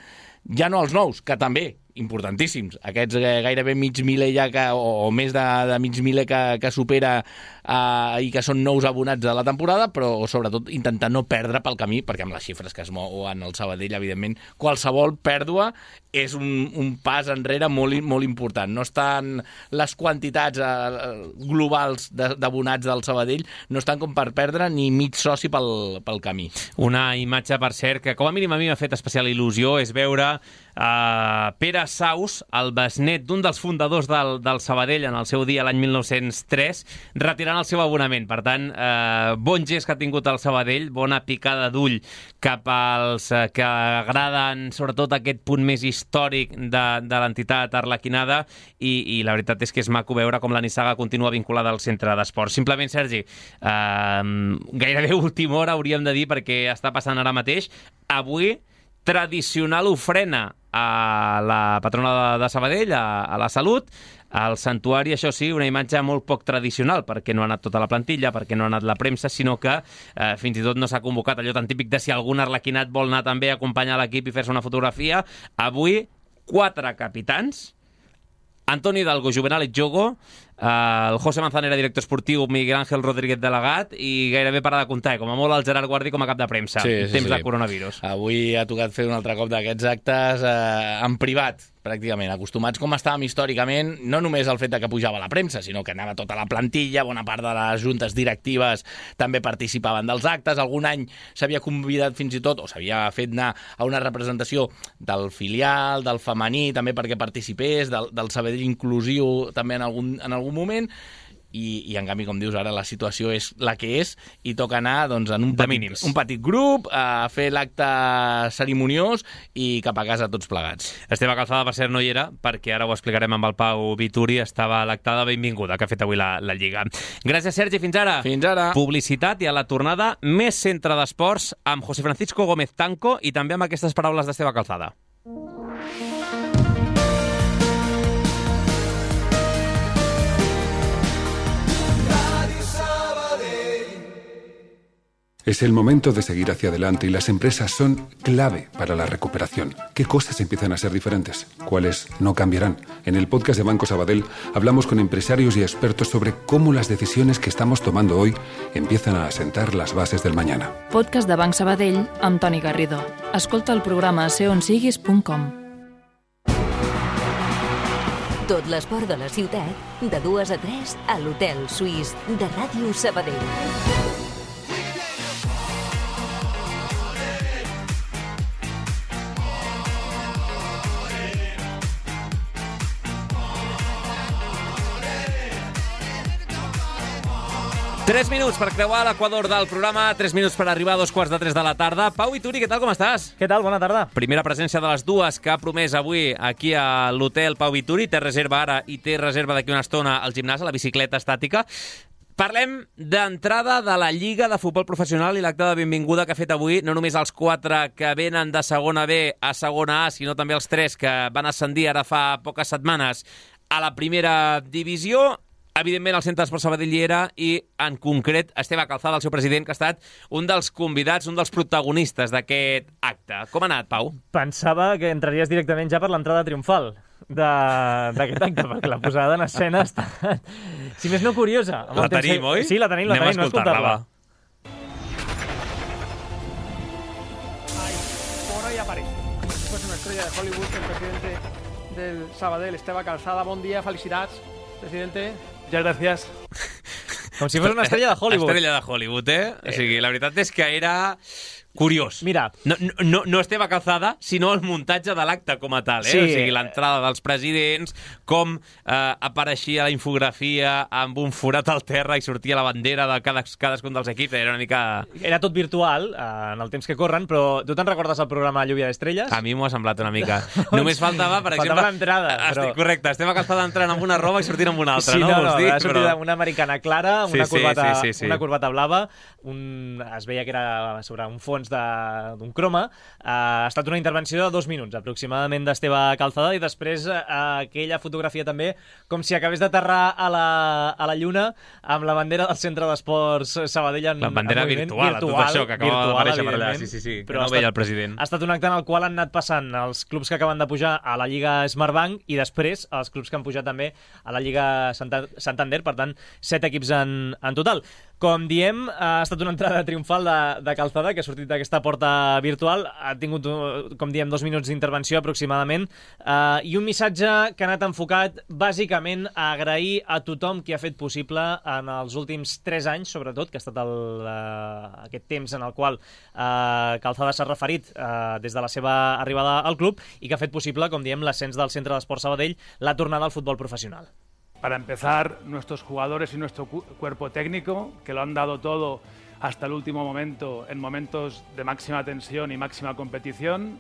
ja no als nous, que també, importantíssims. Aquests gairebé mig miler ja que, o, o més de, de mig miler que, que supera eh, i que són nous abonats de la temporada, però sobretot intentar no perdre pel camí, perquè amb les xifres que es mouen al Sabadell, evidentment, qualsevol pèrdua és un, un pas enrere molt, molt important. No estan les quantitats eh, globals d'abonats del Sabadell, no estan com per perdre ni mig soci pel, pel camí. Una imatge, per cert, que com a mínim a mi m'ha fet especial il·lusió, és veure Uh, Pere Saus, el besnet d'un dels fundadors del, del Sabadell en el seu dia, l'any mil nou-cents tres, retirant el seu abonament. Per tant, uh, bon gest que ha tingut el Sabadell, bona picada d'ull cap als uh, que agraden sobretot aquest punt més històric de, de l'entitat arlequinada, i, i la veritat és que és maco veure com la nissaga continua vinculada al centre d'esports. Simplement, Sergi, uh, gairebé última hora hauríem de dir, perquè està passant ara mateix. Avui, tradicional ofrena a la patrona de, de Sabadell, a, a la Salut, al Santuari, això sí, una imatge molt poc tradicional, perquè no ha anat tota la plantilla, perquè no ha anat la premsa, sinó que eh, fins i tot no s'ha convocat allò tan típic de si algun arlequinat vol anar també a acompanyar l'equip i fer-se una fotografia. Avui, quatre capitans, Antoni Hidalgo, Juvenal Jogo, el José Manzanera, director esportiu, Miguel Ángel Rodríguez, delegat, i gairebé para de comptar, com a molt el Gerard Guardi com a cap de premsa, sí, sí, temps sí. de coronavirus. Avui ha tocat fer un altre cop d'aquests actes eh, en privat, pràcticament, acostumats com estàvem històricament, no només al fet de que pujava la premsa, sinó que anava tota la plantilla, bona part de les juntes directives també participaven dels actes, algun any s'havia convidat fins i tot, o s'havia fet anar a una representació del filial, del femení, també perquè participés, del, del Sabadell inclusiu també en algun, en algun moment, i, i en canvi, com dius ara, la situació és la que és i toca anar doncs, en un petit, un petit grup a fer l'acte cerimoniós i cap a casa tots plegats. Esteve Calzada, per cert, no hi era, perquè ara ho explicarem amb el Pau Vituri, estava a l'acte de benvinguda que ha fet avui la, la Lliga. Gràcies, Sergi, fins ara. Fins ara. Publicitat i a la tornada més centre d'esports amb José Francisco Gómez Tanco i també amb aquestes paraules d'Esteve Calzada. Es el momento de seguir hacia adelante y las empresas son clave para la recuperación. ¿Qué cosas empiezan a ser diferentes? ¿Cuáles no cambiarán? En el podcast de Banco Sabadell hablamos con empresarios y expertos sobre cómo las decisiones que estamos tomando hoy empiezan a asentar las bases del mañana. Podcast de Banc Sabadell amb Toni Garrido. Escolta el programa a ser on siguis punt com. Tot l'esport de la ciutat, de dues a tres, a l'Hotel Suís de Ràdio Sabadell. Tres minuts per creuar l'equador del programa, tres minuts per arribar a dos quarts de tres de la tarda. Pau Vituri, què tal, com estàs? Què tal, bona tarda. Primera presència de les dues que ha promès avui aquí a l'hotel Pau Vituri. Té reserva ara i té reserva d'aquí una estona al gimnàs, a la bicicleta estàtica. Parlem d'entrada de la Lliga de Futbol Professional i l'acte de benvinguda que ha fet avui, no només els quatre que venen de segona B a segona A, sinó també els tres que van ascendir ara fa poques setmanes a la primera divisió. Evidentment, el Centre d'Esport Sabadell hi era i, en concret, Esteve Calzada, el seu president, que ha estat un dels convidats, un dels protagonistes d'aquest acte. Com ha anat, Pau? Pensava que entraries directament ja per l'entrada triomfal d'aquest acte, perquè la posada en escena està, si més no, curiosa. La tenim, oi? Sí, la tenim, la tenim. Anem a escoltar-la. Por hoy aparece. Pues una estrella de Hollywood, el presidente del Sabadell, Esteve Calzada. Bon dia, felicitats, presidente. Muchas gracias. Com si fos una estrella de Hollywood. Estrella de Hollywood, eh? O sigui, la veritat és que era curiós. Mira. No, no, no Esteve Calzada, sinó el muntatge de l'acte com a tal, eh? Sí. O sigui, l'entrada dels presidents, com eh, apareixia la infografia amb un forat al terra i sortia la bandera de cada, cadascun dels equips. Era una mica... Era tot virtual, eh, en el temps que corren, però tu te'n recordes el programa Lluvia d'Estrelles? A mi m'ho ha semblat una mica. Només faltava, per exemple... Faltava l'entrada, però... Correcte, Esteve Calzada entrant amb una roba i sortint amb una altra, sí, no? no, no, dir, va sortir però... una americana clara, amb sí, una, corbata, sí, sí, sí, sí. una corbata blava, un... es veia que era sobre un fons fons d'un croma. Uh, ha estat una intervenció de dos minuts, aproximadament, d'Esteve Calzada, i després uh, aquella fotografia també, com si acabés d'aterrar a, la, a la Lluna amb la bandera del Centre d'Esports Sabadell en, la bandera en virtual, virtual, tot això que acaba d'aparèixer per allà. Sí, sí, sí, que no ha veia el president. Ha estat un acte en el qual han anat passant els clubs que acaben de pujar a la Lliga Smartbank i després els clubs que han pujat també a la Lliga Santander, per tant, set equips en, en total. Com diem, ha estat una entrada triomfal de, de Calzada, que ha sortit d'aquesta porta virtual, ha tingut, com diem, dos minuts d'intervenció aproximadament, eh, i un missatge que ha anat enfocat bàsicament a agrair a tothom qui ha fet possible en els últims tres anys, sobretot, que ha estat el, eh, aquest temps en el qual eh, Calzada s'ha referit eh, des de la seva arribada al club i que ha fet possible, com diem, l'ascens del Centre d'Esport Sabadell, la tornada al futbol professional. Para empezar, nuestros jugadores y nuestro cuerpo técnico, que lo han dado todo hasta el último momento, en momentos de máxima tensión y máxima competición,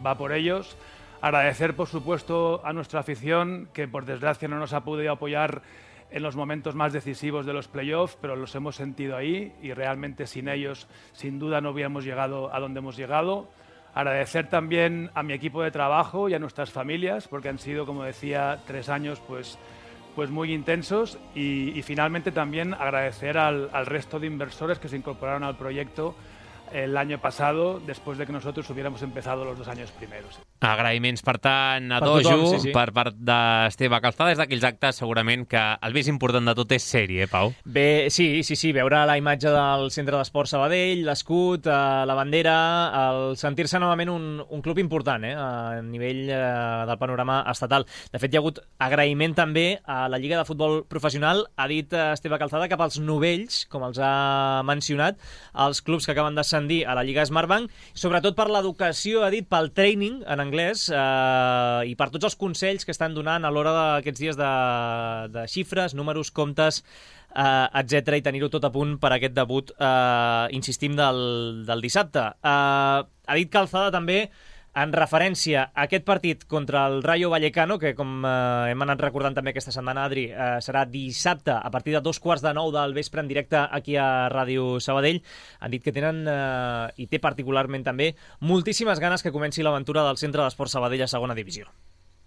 va por ellos. Agradecer, por supuesto, a nuestra afición, que por desgracia no nos ha podido apoyar en los momentos más decisivos de los playoffs, pero los hemos sentido ahí y realmente sin ellos, sin duda, no hubiéramos llegado a donde hemos llegado. Agradecer también a mi equipo de trabajo y a nuestras familias, porque han sido, como decía, tres años pues, pues muy intensos. Y, y finalmente también agradecer al, al resto de inversores que se incorporaron al proyecto el año pasado, després de que nosotros hubiéramos empezado los dos años primeros. Agraïments, per tant, a per Dojo, tothom, sí, sí. per part d'Esteve Calzada. Des d'aquells actes, segurament que el més important de tot és sèrie, eh, Pau? Bé, sí, sí, sí, veure la imatge del Centre d'Esport Sabadell, l'escut, eh, la bandera, el sentir-se novament un, un club important, eh, a nivell eh, del panorama estatal. De fet, hi ha hagut agraïment també a la Lliga de Futbol Professional. Ha dit Esteve Calzada cap als novells, com els ha mencionat, els clubs que acaben d'ascendir a la Lliga Smartbank, sobretot per l'educació, ha dit, pel training en anglès, eh, i per tots els consells que estan donant a l'hora d'aquests dies de, de xifres, números, comptes, eh, etcètera, i tenir-ho tot a punt per aquest debut, eh, insistim, del, del dissabte. Eh, ha dit Calzada també, en referència a aquest partit contra el Rayo Vallecano, que com eh, hem anat recordant també aquesta setmana, Adri, eh, serà dissabte a partir de dos quarts de nou del vespre en directe aquí a Ràdio Sabadell, han dit que tenen, eh, i té particularment també, moltíssimes ganes que comenci l'aventura del Centre d'Esport Sabadell a segona divisió.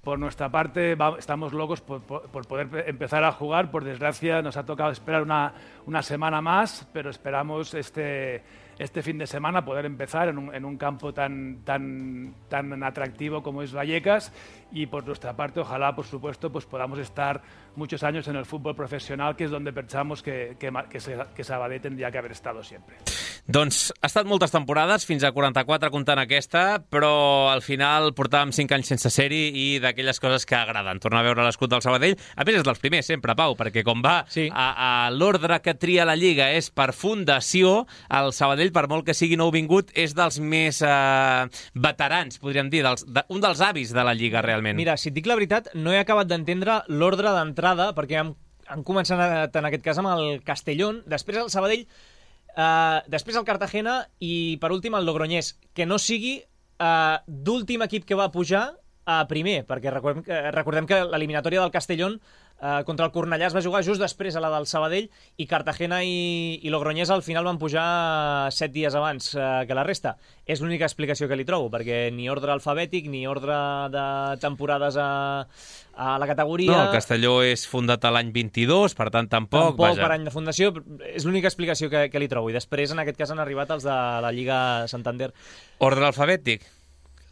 Por nuestra parte, va, estamos locos por, por, por poder empezar a jugar. Por desgracia, nos ha tocado esperar una, una semana más, pero esperamos este, este fin de semana poder empezar en un, en un campo tan, tan, tan atractivo como es Vallecas. Y por nuestra parte, ojalá, por supuesto, pues podamos estar muchos años en el fútbol profesional, que es donde pensamos que, que, que, que Sabadell tendría que haber estado siempre. Doncs ha estat moltes temporades, fins a quaranta-quatre comptant aquesta, però al final portàvem cinc anys sense ser-hi i d'aquelles coses que agraden. Tornar a veure l'escut del Sabadell. A més, és dels primers, sempre, Pau, perquè com va sí. a, a l'ordre que tria la Lliga és per fundació, el Sabadell, per molt que sigui nouvingut, és dels més eh, veterans, podríem dir, dels, de, un dels avis de la Lliga, realment. Mira, si et dic la veritat, no he acabat d'entendre l'ordre d'entrada, perquè hem, hem començat en aquest cas amb el Castellón, després el Sabadell, Uh, després el Cartagena i, per últim, el Logroñés. Que no sigui uh, d'últim equip que va pujar a primer, perquè recordem, uh, recordem que l'eliminatòria del Castellón uh, contra el Cornellà es va jugar just després a la del Sabadell, i Cartagena i, i Logroñés al final van pujar set dies abans uh, que la resta. És l'única explicació que li trobo, perquè ni ordre alfabètic, ni ordre de temporades a... a la categoria... No, el Castelló és fundat a l'any vint-i-dos, per tant, tampoc... Tampoc vaja. Per any de fundació, és l'única explicació que, que li trobo. I després, en aquest cas, han arribat els de la Lliga Santander. Ordre alfabètic.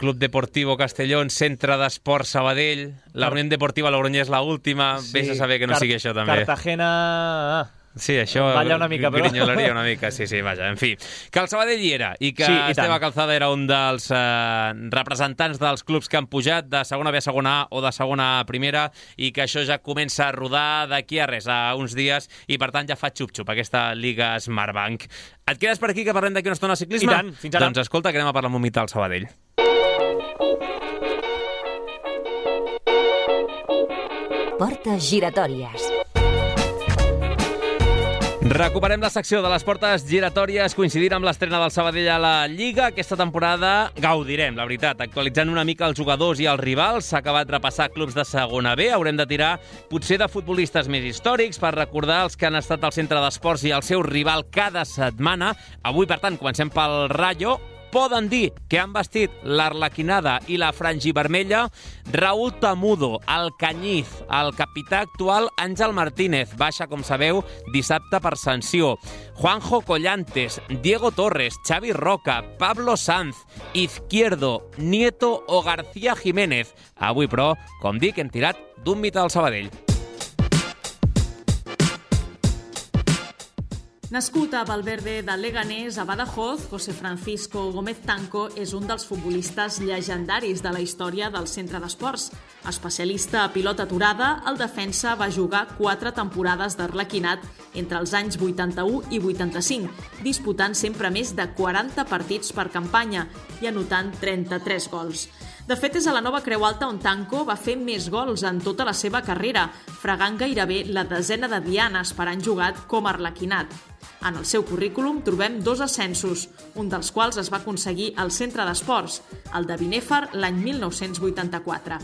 Club Deportivo Castellón, Centre d'Esport Sabadell, la Unión Deportiva Logroñés la última, sí, vés a saber que no sigui això també. Cartagena... Sí, això balla una mica, però... grinyolaria una mica, sí, sí, vaja, en fi. Que el Sabadell hi era, i que sí, i Esteve Calzada era un dels eh, representants dels clubs que han pujat de segona B a segona A o de segona A a primera, i que això ja comença a rodar d'aquí a res, a uns dies, i per tant ja fa xup-xup aquesta Lliga Smartbank. Et quedes per aquí, que parlem d'aquí una estona de ciclisme? I tant, fins ara. Doncs escolta, que anem a parlar un moment del Sabadell. Portes giratòries. Recuperem la secció de les portes giratòries coincidint amb l'estrena del Sabadell a la Lliga. Aquesta temporada gaudirem, la veritat, actualitzant una mica els jugadors i els rivals. S'ha acabat repassar clubs de segona B. Haurem de tirar potser de futbolistes més històrics per recordar els que han estat al centre d'esports i el seu rival cada setmana. Avui, per tant, comencem pel Rayo. Poden dir que han vestit l'Arlequinada i la frangivermella Raúl Tamudo, el Canyiz, el capità actual Àngel Martínez, baixa, com sabeu, dissabte per sanció, Juanjo Collantes, Diego Torres, Xavi Roca, Pablo Sanz, Izquierdo, Nieto o García Jiménez. Avui, però, com dic, hem tirat d'un mite del Sabadell. Nascut a Valverde de Leganés, a Badajoz, José Francisco Gómez Tanco és un dels futbolistes llegendaris de la història del centre d'esports. Especialista a pilota aturada, el defensa va jugar quatre temporades d'Arlequinat entre els anys vuitanta-u i vuitanta-cinc, disputant sempre més de quaranta partits per campanya i anotant trenta-tres gols. De fet, és a la Nova Creu Alta on Tanco va fer més gols en tota la seva carrera, fregant gairebé la desena de dianes per any jugat com a Arlequinat. En el seu currículum trobem dos ascensos, un dels quals es va aconseguir al centre d'esports, el de Binèfar l'any mil nou-cents vuitanta-quatre.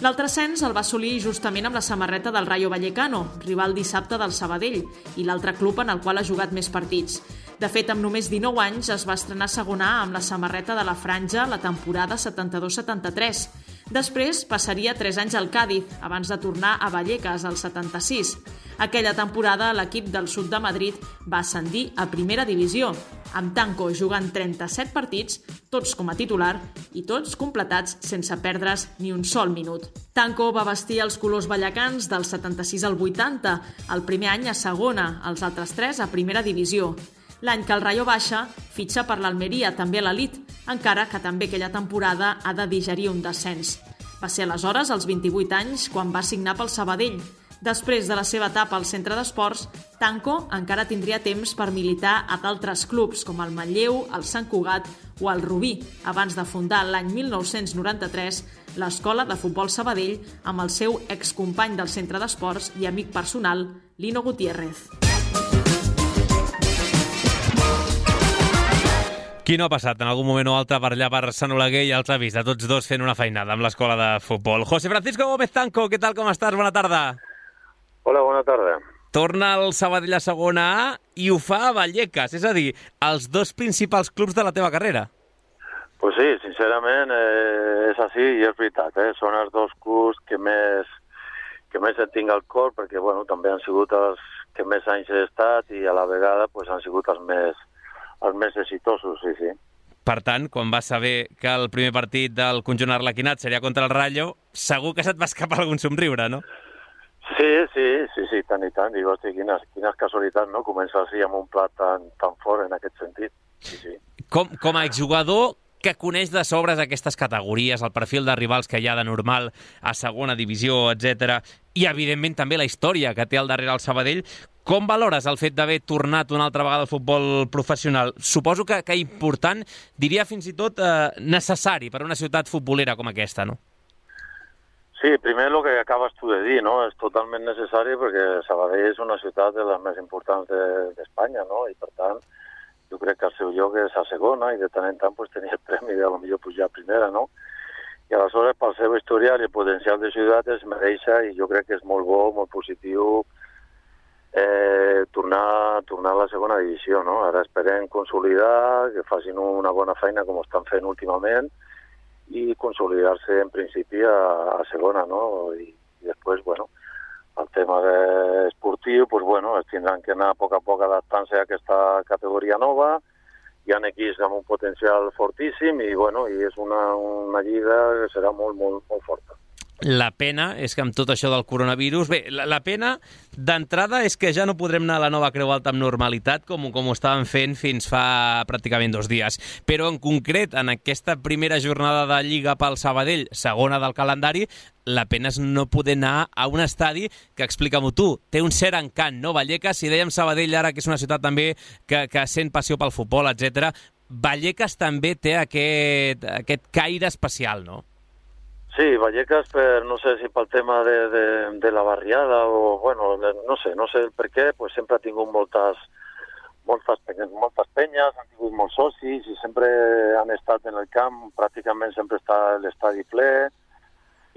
L'altre ascens el va assolir justament amb la samarreta del Rayo Vallecano, rival dissabte del Sabadell, i l'altre club en el qual ha jugat més partits. De fet, amb només dinou anys es va estrenar a segona A amb la samarreta de la franja la temporada setanta-dos setanta-tres. Després passaria tres anys al Càdiz, abans de tornar a Vallecas al setanta-sis. Aquella temporada l'equip del sud de Madrid va ascendir a primera divisió, amb Tanco jugant trenta-set partits, tots com a titular i tots completats sense perdre's ni un sol minut. Tanco va vestir els colors vallecans del setanta-sis al vuitanta, el primer any a segona, els altres tres a primera divisió. L'any que el Rayo baixa, fitxa per l'Almeria, també a l'elit, encara que també aquella temporada ha de digerir un descens. Va ser aleshores, als vint-i-vuit anys, quan va signar pel Sabadell. Després de la seva etapa al centre d'esports, Tanco encara tindria temps per militar a d'altres clubs, com el Manlleu, el Sant Cugat o el Rubí, abans de fundar l'any mil nou-cents noranta-tres l'Escola de Futbol Sabadell amb el seu excompany del centre d'esports i amic personal, Lino Gutiérrez. Qui no ha passat en algun moment o altre per allà per Sant Oleguer i els ha vist a tots dos fent una feinada amb l'escola de futbol? José Francisco Gómez Tanco, què tal, com estàs? Bona tarda. Hola, bona tarda. Torna al Sabadell a segona A i ho fa a Vallecas, és a dir, els dos principals clubs de la teva carrera. Pues sí, sincerament eh, és així i és veritat. Eh? Són els dos clubs que més, que més et tinc al cor perquè bueno, també han sigut els que més anys he estat i a la vegada pues, han sigut els més els més exitosos, sí, sí. Per tant, quan vas saber que el primer partit del conjunt arlequinat seria contra el Rayo, segur que se't va escapar algun somriure, no? Sí, sí, sí, sí, tant i tant. Dic, hosti, quines, quines casualitats, no? Començar així amb un plat tan, tan fort en aquest sentit. Sí, sí. Com, com a exjugador que coneix de sobres aquestes categories, el perfil de rivals que hi ha de normal a segona divisió, etcètera, i evidentment també la història que té al darrere el Sabadell, com valores el fet d'haver tornat una altra vegada al futbol professional? Suposo que, que important, diria fins i tot eh, necessari per a una ciutat futbolera com aquesta, no? Sí, primer el que acabes tu de dir, no? És totalment necessari perquè Sabadell és una ciutat de les més importants d'Espanya, de, no? I per tant, jo crec que el seu lloc és a segona i de tant en tant pues, tenia el premi de potser pujar a primera, no? I aleshores, pel seu historial i el potencial de ciutat es mereixer i jo crec que és molt bo, molt positiu eh, tornar, tornar a la segona divisió, no? Ara esperem consolidar, que facin una bona feina com estan fent últimament i consolidar-se en principi a, a segona, no? I, i després, bueno, el tema de esportiu, pues bueno, es tindran que anar a poc a poc adaptant-se a aquesta categoria nova. Hi ha equips amb un potencial fortíssim i, bueno, i és una, una lliga que serà molt, molt, molt forta. La pena és que amb tot això del coronavirus... Bé, la, la pena d'entrada és que ja no podrem anar a la Nova Creu Alta amb normalitat com, com ho estàvem fent fins fa pràcticament dos dies. Però en concret, en aquesta primera jornada de Lliga pel Sabadell, segona del calendari, la pena és no poder anar a un estadi que, explica-m'ho tu, té un cert encant, no? Vallecas, si dèiem Sabadell ara, que és una ciutat també que, que sent passió pel futbol, etcètera, Vallecas també té aquest, aquest caire especial, no? Sí, Vallecas, per, no sé si pel tema de, de, de la barriada o, bueno, no sé, no sé el per què, pues sempre ha tingut moltes, moltes, penyes, moltes penyes, han tingut molts socis i sempre han estat en el camp, pràcticament sempre està l'estadi ple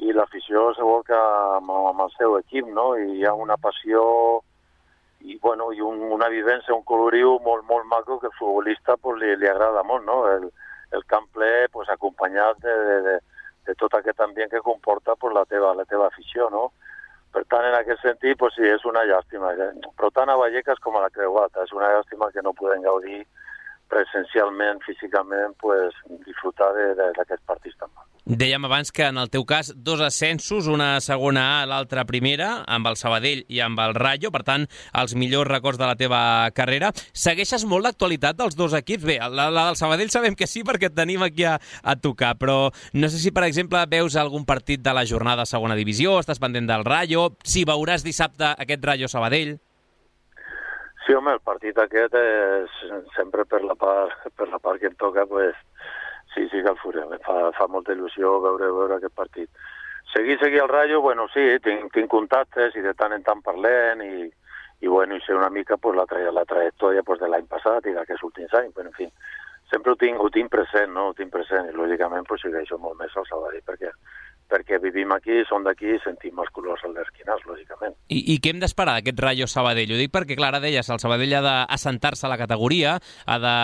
i l'afició se volca amb, amb el seu equip, no? I hi ha una passió i, bueno, i un, una vivència, un coloriu molt, molt maco que al futbolista pues, li, li agrada molt, no? El, el camp ple pues, acompanyat de, de, de de tot aquest ambient que comporta pues, la, teva, la teva afició, no? Per tant, en aquest sentit, pues, sí, és una llàstima. Però tant a Vallecas com a la Creuata, és una llàstima que no podem gaudir presencialment, físicament, pues, disfrutar d'aquests partits tan mal. Dèiem abans que en el teu cas dos ascensos, una segona A, l'altra primera, amb el Sabadell i amb el Rayo, per tant, els millors records de la teva carrera. Segueixes molt l'actualitat dels dos equips? Bé, la, la del Sabadell sabem que sí, perquè et tenim aquí a, a tocar, però no sé si, per exemple, veus algun partit de la jornada a segona divisió, estàs pendent del Rayo, si veuràs dissabte aquest Rayo-Sabadell. Sí, home, el partit aquest és sempre per la part, per la part que em toca, pues, sí, sí que el farem. Fa, fa molta il·lusió veure, veure aquest partit. Seguir, seguir el Rayo, bueno, sí, tinc, tinc contactes i de tant en tant parlem i, i bueno, i sé una mica pues, la, tra la trajectòria pues, de l'any passat i d'aquests últims anys, però en fi, sempre ho tinc, ho tinc present, no? Ho tinc present i lògicament pues, segueixo molt més al Sabadell perquè, perquè vivim aquí, som d'aquí i sentim els colors al d'esquinars, lògicament. I, I què hem d'esperar d'aquest Rayo Sabadell? Ho dic perquè, clar, ara deies, el Sabadell ha d'assentar-se a la categoria, ha de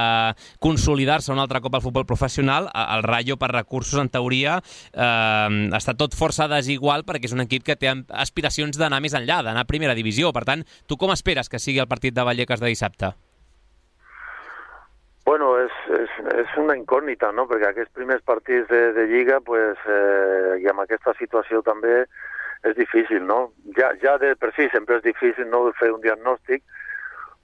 consolidar-se un altre cop al futbol professional. El Rayo, per recursos, en teoria, eh, està tot força desigual perquè és un equip que té aspiracions d'anar més enllà, d'anar a primera divisió. Per tant, tu com esperes que sigui el partit de Vallecas de dissabte? Bueno, és, és, és una incògnita, no? Perquè aquests primers partits de, de Lliga, pues, eh, i amb aquesta situació també és difícil, no? Ja, ja de per si sempre és difícil no fer un diagnòstic,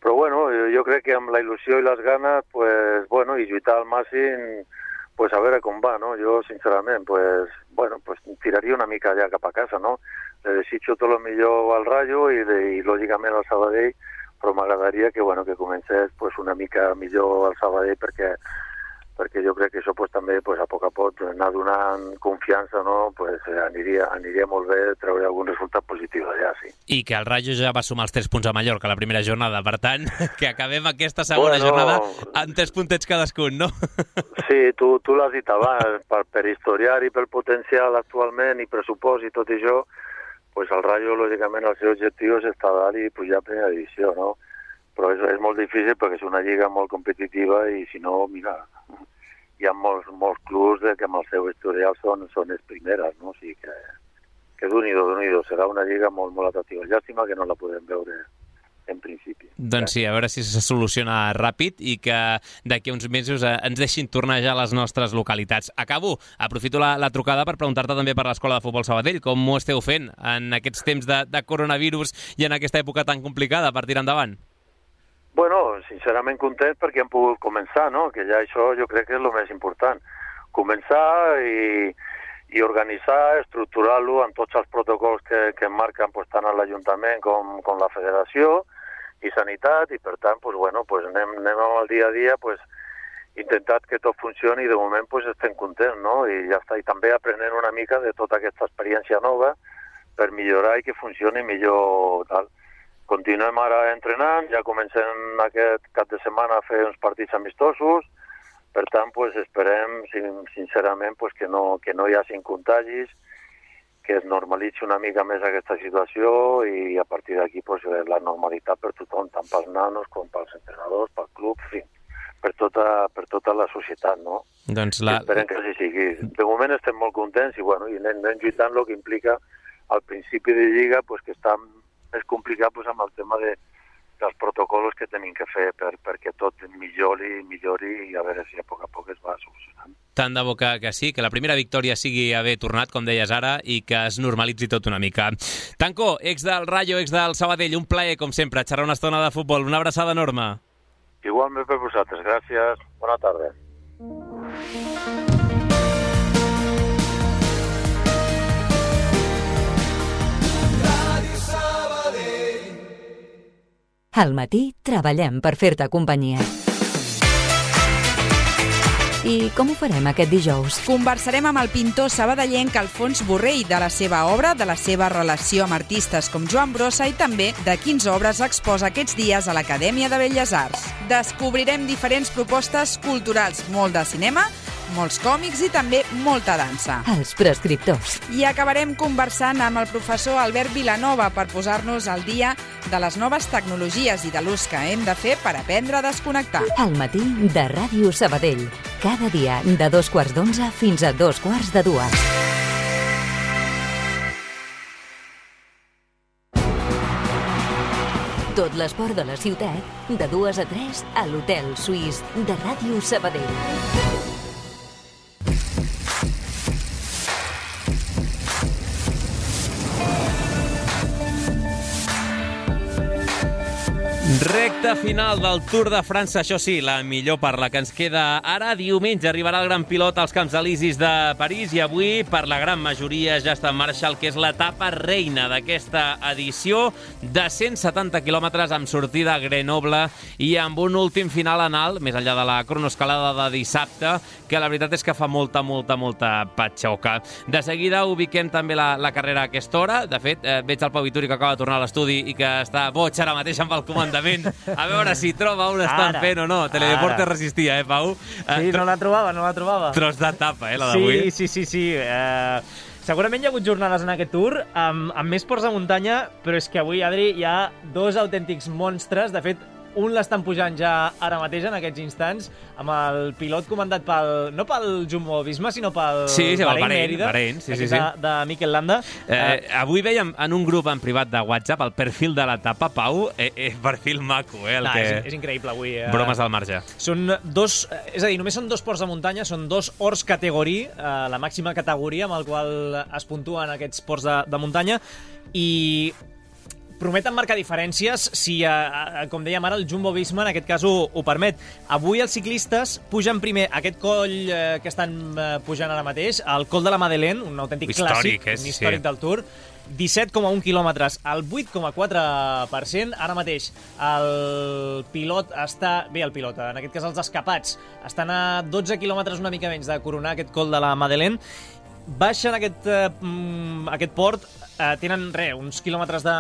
però bueno, jo crec que amb la il·lusió i les ganes, pues, bueno, i lluitar al màxim, pues, a veure com va, no? Jo, sincerament, pues, bueno, pues, tiraria una mica allà cap a casa, no? Le desitjo tot el millor al Rayo i, de, i lògicament al Sabadell, però m'agradaria que, bueno, que comencés pues, una mica millor al Sabadell perquè, perquè jo crec que això pues, també pues, a poc a poc anar donant confiança, no? Pues, aniria, aniria molt bé treure algun resultat positiu allà, sí. I que el Rayo ja va sumar els tres punts a Mallorca la primera jornada, per tant, que acabem aquesta segona bueno, jornada amb tres puntets cadascun, no? Sí, tu, tu l'has dit abans, per, per historiar i pel potencial actualment i pressupost i tot això, pues el Rayo, lògicament, el seu objectiu és estar dalt i pujar a primera divisió, no? Però és, és molt difícil perquè és una lliga molt competitiva i, si no, mira, hi ha molts, molts clubs de que amb el seu historial són, són les primeres, no? O sigui que, que d'unido, d'unido, serà una lliga molt, molt atractiva. Llàstima que no la podem veure en principi. Doncs sí, a veure si se soluciona ràpid i que d'aquí a uns mesos ens deixin tornar ja a les nostres localitats. Acabo, aprofito la, la trucada per preguntar-te també per l'Escola de Futbol Sabadell. Com ho esteu fent en aquests temps de, de coronavirus i en aquesta època tan complicada per tirar endavant? Bueno, sincerament content perquè hem pogut començar, no? Que ja això jo crec que és el més important. Començar i, i organitzar, estructurar-lo amb tots els protocols que, que marquen pues, tant a l'Ajuntament com, com la Federació i sanitat, i per tant, pues, bueno, pues, anem, anem al dia a dia, pues, intentat que tot funcioni i de moment pues, estem contents, no? I ja està, i també aprenent una mica de tota aquesta experiència nova per millorar i que funcioni millor. Tal. Continuem ara entrenant, ja comencem aquest cap de setmana a fer uns partits amistosos, per tant, pues, esperem sincerament pues, que, no, que no hi hagi contagis, que es normalitzi una mica més aquesta situació i a partir d'aquí pues, la normalitat per tothom, tant pels nanos com pels entrenadors, pel club, en fi, per tota, per tota la societat, no? Doncs la... Esperem que així sigui. De moment estem molt contents i, bueno, i anem, anem lluitant el que implica al principi de Lliga pues, que està més complicat pues, amb el tema de, dels protocols que tenim que fer per, perquè tot millori, millori i a veure si a poc a poc es va solucionant. Tant de bo que, que sí, que la primera victòria sigui haver tornat, com deies ara, i que es normalitzi tot una mica. Tanco, ex del Rayo, ex del Sabadell, un plaer, com sempre, xerrar una estona de futbol. Una abraçada enorme. Igualment per vosaltres, gràcies. Bona tarda. Al matí treballem per fer-te companyia. I com ho farem aquest dijous? Conversarem amb el pintor sabadellenc Alfons Borrell de la seva obra, de la seva relació amb artistes com Joan Brossa i també de quinze obres exposa aquests dies a l'Acadèmia de Belles Arts. Descobrirem diferents propostes culturals, molt de cinema, molts còmics i també molta dansa. Els prescriptors. I acabarem conversant amb el professor Albert Vilanova per posar-nos al dia de les noves tecnologies i de l'ús que hem de fer per aprendre a desconnectar. Al matí de Ràdio Sabadell. Cada dia de dos quarts d'onze fins a dos quarts de dues. Tot l'esport de la ciutat, de dues a tres, a l'Hotel Suís de Ràdio Sabadell. Recta final del Tour de França, això sí, la millor part, la que ens queda ara. Diumenge arribarà el gran pilot als Camps Elisis de París i avui, per la gran majoria, ja està en marxa el que és l'etapa reina d'aquesta edició de cent setanta quilòmetres amb sortida a Grenoble i amb un últim final en alt, més enllà de la cronoescalada de dissabte, que la veritat és que fa molta, molta, molta patxoca. De seguida ubiquem també la, la carrera a aquesta hora. De fet, eh, veig el Pau Vituri que acaba de tornar a l'estudi i que està boig ara mateix amb el comandament. A veure si troba on estan ara, fent o no. Teledeporte ara. Resistia, eh, Pau? Sí, no la trobava, no la trobava. Tros d'etapa, eh, la d'avui. Sí, sí, sí, sí. Eh, segurament hi ha hagut jornades en aquest Tour amb, amb més ports de muntanya, però és que avui, Adri, hi ha dos autèntics monstres. De fet, un l'estan pujant ja ara mateix, en aquests instants, amb el pilot comandat pel, no pel Jumbo-Visma, sinó pel sí, sí, Bahrein Bahrein, Mérida, Bahrein, sí, sí, sí. De, de Mikel Landa. Eh, eh, avui veiem en un grup en privat de WhatsApp el perfil de l'etapa, Pau, eh, eh, perfil maco, eh? El no, que... és, és increïble avui. Eh? Bromes al marge. Són dos, és a dir, només són dos ports de muntanya, són dos horts categoria, eh, la màxima categoria amb el qual es puntuen aquests ports de, de muntanya, i prometen marcar diferències si, eh, com dèiem ara, el Jumbo-Visma en aquest cas ho, ho permet. Avui els ciclistes pugen primer aquest coll eh, que estan eh, pujant ara mateix, el Col de la Madeleine, un autèntic històric, clàssic, és, un històric sí. del Tour, disset coma un quilòmetres, el vuit coma quatre per cent. Ara mateix el pilot està... Bé, el pilot, en aquest cas els escapats, estan a dotze quilòmetres una mica menys de coronar aquest Col de la Madeleine. Baixen aquest, eh, aquest port, eh, tenen re, uns quilòmetres de,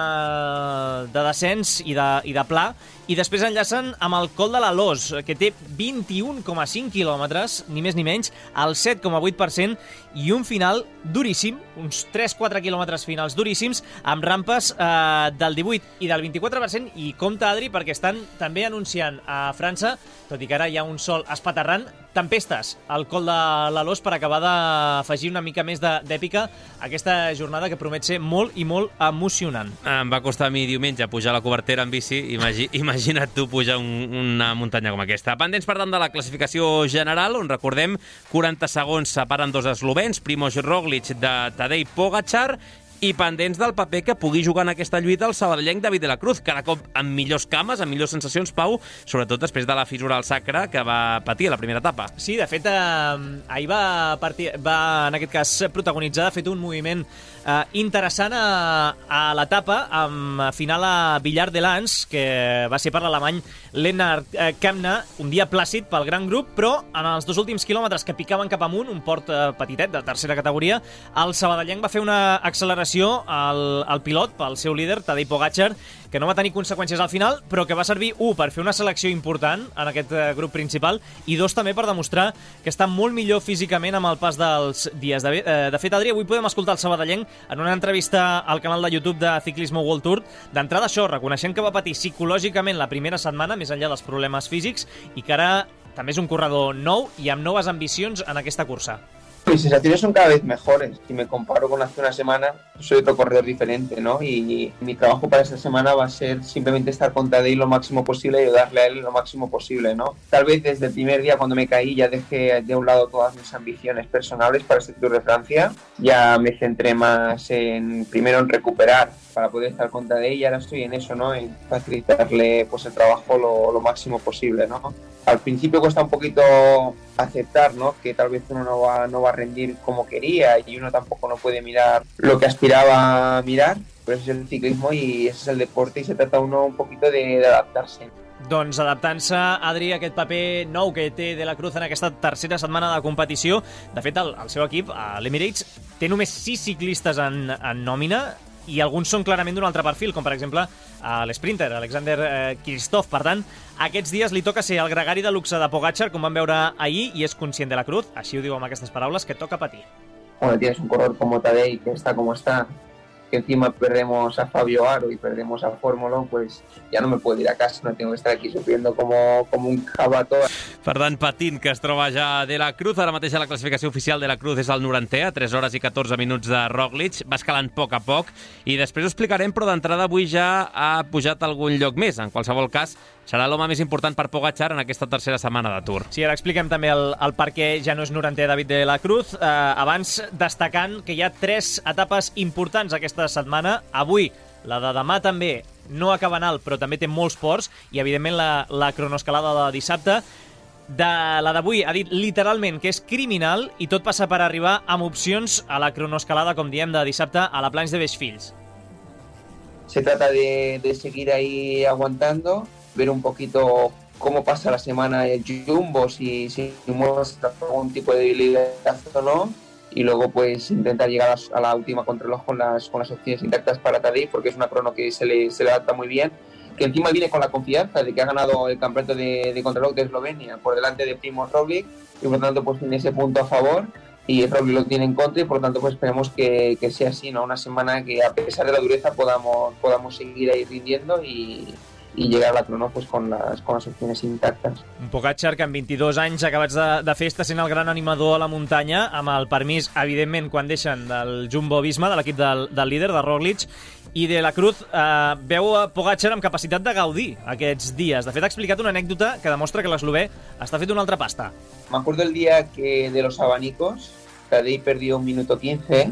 de descens i de, i de pla, i després enllacen amb el Col de la Loz, que té vint-i-un coma cinc quilòmetres, ni més ni menys, al set coma vuit per cent, i un final duríssim, uns tres a quatre quilòmetres finals duríssims, amb rampes eh, del divuit i del vint-i-quatre per cent, i compte, Adri, perquè estan també anunciant a França, tot i que ara hi ha un sol espaterrant, tempestes al Col de la Loz per acabar d'afegir una mica més d'èpica a aquesta jornada que promet ser molt i molt emocionant. Em va costar a mi diumenge pujar la cobertera en bici, imagi, imagina't tu pujar un, una muntanya com aquesta. Pendents, per tant, de la classificació general, on recordem quaranta segons separen dos eslovens, Primož Roglič de Tadej Pogačar, i pendents del paper que pugui jugar en aquesta lluita el sabadellenc David de la Cruz, cada cop amb millors cames, amb millors sensacions, Pau, sobretot després de la fissura al sacre que va patir a la primera etapa. Sí, de fet, eh, ahir va, partir, va, en aquest cas, protagonitzar, ha fet un moviment eh, interessant a, a l'etapa, amb final a Villard de Lans, que va ser per l'alemany Lennart eh, Kemna, un dia plàcid pel gran grup, però en els dos últims quilòmetres que picaven cap amunt, un port eh, petitet de tercera categoria, el sabadellenc va fer una acceleració al, al pilot, pel seu líder, Tadej Pogačar, que no va tenir conseqüències al final, però que va servir, un, per fer una selecció important en aquest eh, grup principal, i dos, també per demostrar que està molt millor físicament amb el pas dels dies. De, eh, de fet, Adri, avui podem escoltar el sabadellenc en una entrevista al canal de YouTube de Ciclismo World Tour. D'entrada, això, reconeixent que va patir psicològicament la primera setmana, més enllà dels problemes físics, i que ara també és un corredor nou i amb noves ambicions en aquesta cursa. Mis sensaciones son cada vez mejores. Si me comparo con hace una semana, soy otro corredor diferente, ¿no? Y mi trabajo para esta semana va a ser simplemente estar con Tadej lo máximo posible y ayudarle a él lo máximo posible, ¿no? Tal vez desde el primer día cuando me caí ya dejé de un lado todas mis ambiciones personales para este Tour de Francia. Ya me centré más en, primero en recuperar para poder estar con Tadej, y ahora estoy en eso, ¿no? En facilitarle pues el trabajo lo, lo máximo posible, ¿no? Al principio cuesta un poquito aceptar, ¿no? Que tal vez uno no va, no va a rendir como quería, y uno tampoco no puede mirar lo que aspiraba a mirar, pero ese es el ciclismo y ese es el deporte, y se trata uno un poquito de, de adaptarse. Doncs adaptant-se, Adri, a aquest paper nou que té De la Cruz en aquesta tercera setmana de competició. De fet, el, el seu equip, l'Emirates, té només sis ciclistes en, en nòmina i alguns són clarament d'un altre perfil, com per exemple l'sprinter, Alexander eh, Kristoff. Per tant, aquests dies li toca ser el gregari de luxe de Pogačar, com vam veure ahir, i és conscient De la Cruz, així ho diu amb aquestes paraules, que toca patir. Cuando tienes un corredor como Tadej, que está como está, que encima perdemos a Fabio Aro y perdemos a Fórmula, pues ya no me puedo ir a casa, no tengo que estar aquí sufriendo como, como un jabato. Per tant, patint, que es troba ja De la Cruz. Ara mateix a la classificació oficial De la Cruz és el norantè, a tres hores i catorze minuts de Roglic. Va escalant a poc a poc i després ho explicarem, però d'entrada avui ja ha pujat algun lloc més. En qualsevol cas, serà l'home més important per Pogačar en aquesta tercera setmana de Tour. Sí, ara expliquem també el, el per què ja no és norantè David De la Cruz. Eh, abans, destacant que hi ha tres etapes importants aquesta setmana. Avui, la de demà també no acaba en alt, però també té molts ports, i evidentment la, la cronoescalada de dissabte. De la d'avui ha dit literalment que és criminal i tot passa per arribar amb opcions a la cronoescalada, com diem, de dissabte a la Plans de Beixfills. Se trata de, de seguir ahí aguantando, ver un poquito cómo pasa la semana el Jumbo, si, si muestra algún tipo de debilidad o no, y luego pues intentar llegar a, a la última contrarreloj con las, con las opciones intactas para Tadej, porque es una crono que se le, se le adapta muy bien, que encima viene con la confianza de que ha ganado el campeonato de, de contrarreloj de Eslovenia por delante de Primož Roglic, y por lo tanto pues tiene ese punto a favor, y Roglic lo tiene en contra, y por lo tanto pues esperemos que, que sea así, ¿no? Una semana que a pesar de la dureza podamos, podamos seguir ahí rindiendo y, i llegar a la crono pues, con, las, con las opciones intactes. Un Pogačar que amb vint-i-dos anys acabats de, de festa sent el gran animador a la muntanya, amb el permís, evidentment, quan deixen del Jumbo-Visma, de l'equip del, del líder, de Roglic, i De la Cruz eh, veu a Pogačar amb capacitat de gaudir aquests dies. De fet, ha explicat una anècdota que demostra que l'eslové està fet una altra pasta. Me acuerdo el día que de los abanicos, Tadej perdió un minuto quince,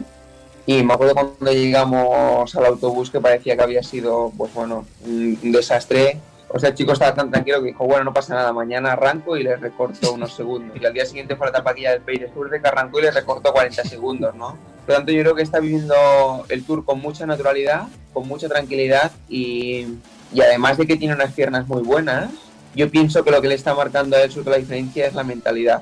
y me acuerdo cuando llegamos al autobús que parecía que había sido, pues bueno, un, un desastre. O sea, el chico estaba tan tranquilo que dijo, bueno, no pasa nada, mañana arranco y le recorto unos segundos. Y al día siguiente fue la etapa aquella del Pays de Sur de que arrancó y le recortó cuarenta segundos, ¿no? Por lo tanto, yo creo que está viviendo el Tour con mucha naturalidad, con mucha tranquilidad y, y además de que tiene unas piernas muy buenas, yo pienso que lo que le está marcando a él sobre la diferencia es la mentalidad.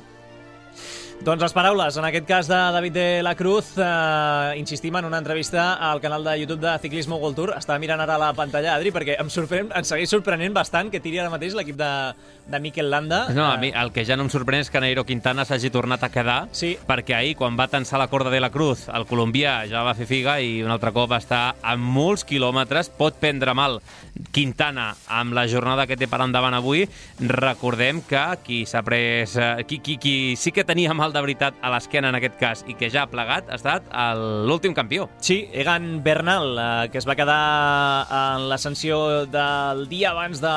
Doncs les paraules, en aquest cas de David De la Cruz, eh, insistim en una entrevista al canal de YouTube de Ciclismo World Tour. Estava mirant ara la pantalla, Adri, perquè em, sorprèn, em segueix sorprenent bastant que tiri ara mateix l'equip de, de Mikel Landa. No, a mi el que ja no em sorprèn és que Nairo Quintana s'hagi tornat a quedar, sí. Perquè ahir, quan va tensar la corda de la Cruz, el colombià ja va fer figa i un altre cop va estar a molts quilòmetres. Pot prendre mal Quintana amb la jornada que té per endavant avui. Recordem que qui s'ha pres... Qui, qui, qui sí que tenia mal de veritat a l'esquena en aquest cas i que ja ha plegat ha estat l'últim campió. Sí, Egan Bernal, eh, que es va quedar en l'ascensió del dia abans de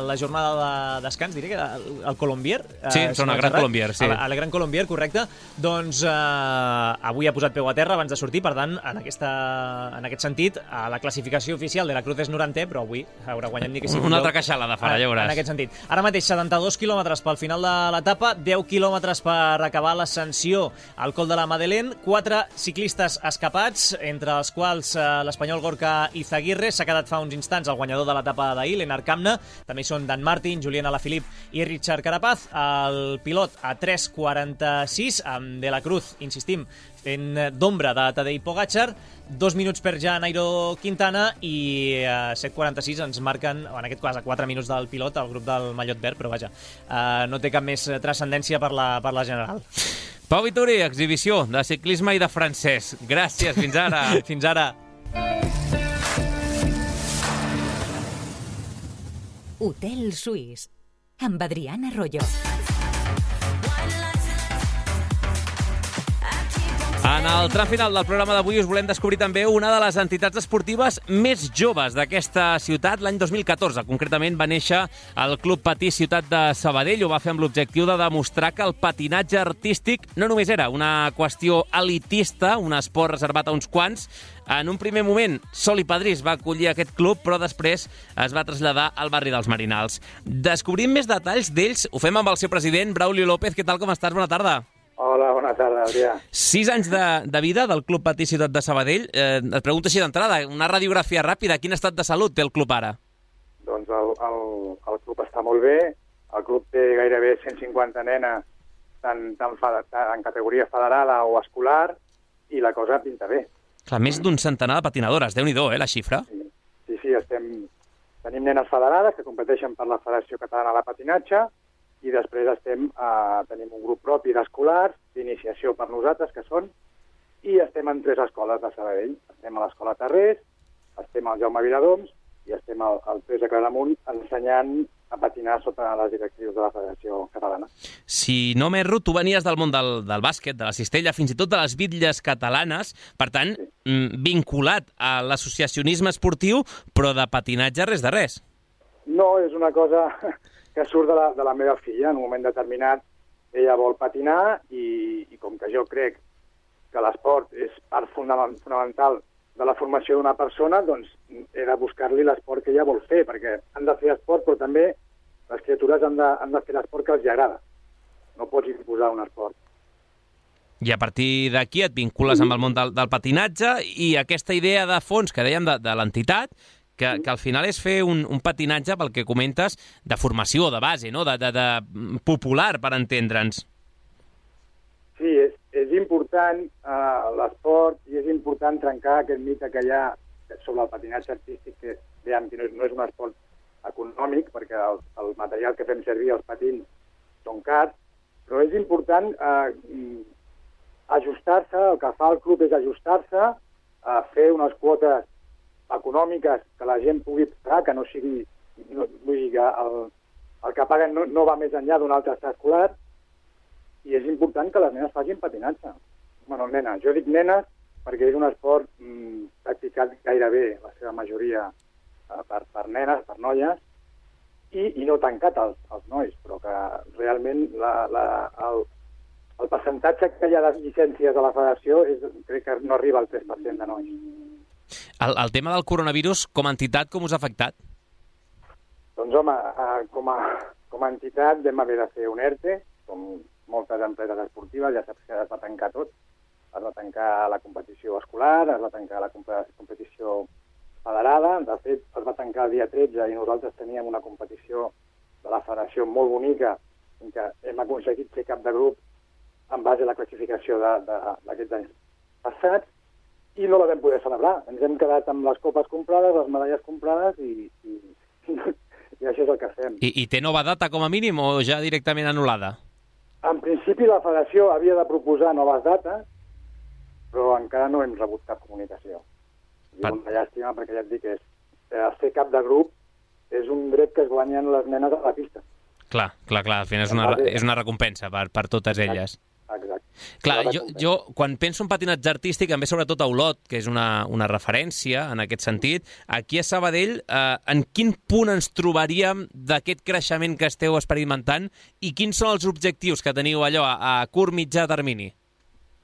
la jornada de descans, diré que el, el Colombier. Eh, Sí, són el Gran Colombier, sí. El, el Gran Colombier, correcte. Doncs eh, avui ha posat peu a terra abans de sortir, per tant, en, aquesta, en aquest sentit, a la classificació oficial de la Cruz és norantè, però avui haurà guanyat ni que sigui una altra queixalada farà, ja veuràs. En aquest sentit. Ara mateix, setanta-dos quilòmetres pel final de l'etapa, deu quilòmetres per acabar l'ascensió al Col de la Madeleine, quatre ciclistes escapats, entre els quals eh, l'espanyol Gorka Izaguirre s'ha quedat fa uns instants el guanyador de l'etapa d'ahir, Lennart Kamna, també són Dan Martin, Julián Alaphilippe i Richard Carapaz, el pilot a tres quaranta-sis, amb De la Cruz, insistim, fent d'ombra de Tadej Pogačar, dos minuts per ja Nairo Quintana i eh, set quaranta-sis ens marquen, en aquest cas a quatre minuts del pilot, el grup del mallot verd, però vaja, eh, no té cap més transcendència per la, per la general. Pau Vituri, exhibició de ciclisme i de francès. Gràcies, fins ara. Fins ara. Hotel Suís, amb Adriana Arroyo. En el tram final del programa d'avui us volem descobrir també una de les entitats esportives més joves d'aquesta ciutat. L'any dos mil catorze, concretament, va néixer el Club Patí Ciutat de Sabadell. Ho va fer amb l'objectiu de demostrar que el patinatge artístic no només era una qüestió elitista, un esport reservat a uns quants. En un primer moment, Sol i Padrís va acollir aquest club, però després es va traslladar al barri dels Marinals. Descobrim més detalls d'ells. Ho fem amb el seu president, Braulio López. Què tal, com estàs? Bona tarda. Hola, bona tarda, Adrià. Sis anys de, de vida del Club Patí Ciutat de Sabadell. Eh, et pregunto així d'entrada, una radiografia ràpida. Quin estat de salut té el club ara? Doncs doncs el, el, el club està molt bé, el club té gairebé cent cinquanta nenes tant, tant, tant en categoria federada o escolar, i la cosa pinta bé. Clar, més d'un centenar de patinadores, Déu-n'hi-do, eh, la xifra? Sí, sí, sí estem, tenim nenes federades que competeixen per la Federació Catalana de Patinatge, i després estem, eh, tenim un grup propi d'escolars, d'iniciació per nosaltres, que són, i estem en tres escoles de Sabadell. Estem a l'Escola Tarrés, estem al Jaume Viladoms i estem al, al P S Claramunt ensenyant a patinar sota les directrius de la Federació Catalana. Si no m'erro, tu venies del món del, del bàsquet, de la cistella, fins i tot de les bitlles catalanes, per tant, sí. vinculat a l'associacionisme esportiu, però de patinatge res de res. No, és una cosa que surt de la, de la meva filla. En un moment determinat ella vol patinar i, i com que jo crec que l'esport és part fonamental de la formació d'una persona, doncs he de buscar-li l'esport que ella vol fer, perquè han de fer esport, però també les criatures han de, han de fer l'esport que els agrada. No pots imposar un esport. I a partir d'aquí et vincules amb el món del, del patinatge i aquesta idea de fons que dèiem de, de l'entitat, que, que al final és fer un, un patinatge, pel que comentes, de formació, de base, no? de, de, de popular, per entendre'ns. Sí, és, és important uh, l'esport i és important trencar aquest mite que hi ha sobre el patinatge artístic, que, diguem, que no, és, no és un esport econòmic, perquè el, el material que fem servir, els patins, són cars, però és important uh, ajustar-se, el que fa el club és ajustar-se, a fer unes quotes econòmiques que la gent pugui pagar, que no sigui, no, vull dir que el, el que paguen no, no va més enllà d'un altre escolar, i és important que les nenes facin patinatge. Bueno, nenes, jo dic nenes perquè és un esport mmm, practicat gairebé, la seva majoria, eh, per, per nenes, per noies, i, i no tancat als, als nois, però que realment la, la, el, el percentatge que hi ha de llicències a la federació és, crec que no arriba al tres per cent de nois. El, el tema del coronavirus, com a entitat, com us ha afectat? Doncs, home, eh, com, a, com a entitat vam haver de fer un ERTE, com moltes empreses esportives, ja saps que es va tancar tot. Es va tancar la competició escolar, es va tancar la competició federada, de fet es va tancar el dia tretze i nosaltres teníem una competició de la federació molt bonica en què hem aconseguit ser cap de grup en base a la classificació d'aquests anys passats, i no la vam poder celebrar. Ens hem quedat amb les copes comprades, les medalles comprades i, i, i això és el que fem. I, I té nova data com a mínim o ja directament anul·lada? En principi la federació havia de proposar noves dates, però encara no hem rebut cap comunicació. I per... una llàstima perquè ja et dic que és, eh, ser cap de grup és un dret que es guanyen les nenes a la pista. Clar, clar, clar, al final és una, és una recompensa per, per totes elles. Exacte. Clar, jo, jo quan penso en patinatge artístic em ve sobretot a Olot, que és una, una referència en aquest sentit. Aquí a Sabadell, eh, en quin punt ens trobaríem d'aquest creixement que esteu experimentant i quins són els objectius que teniu allò a, a curt mitjà termini?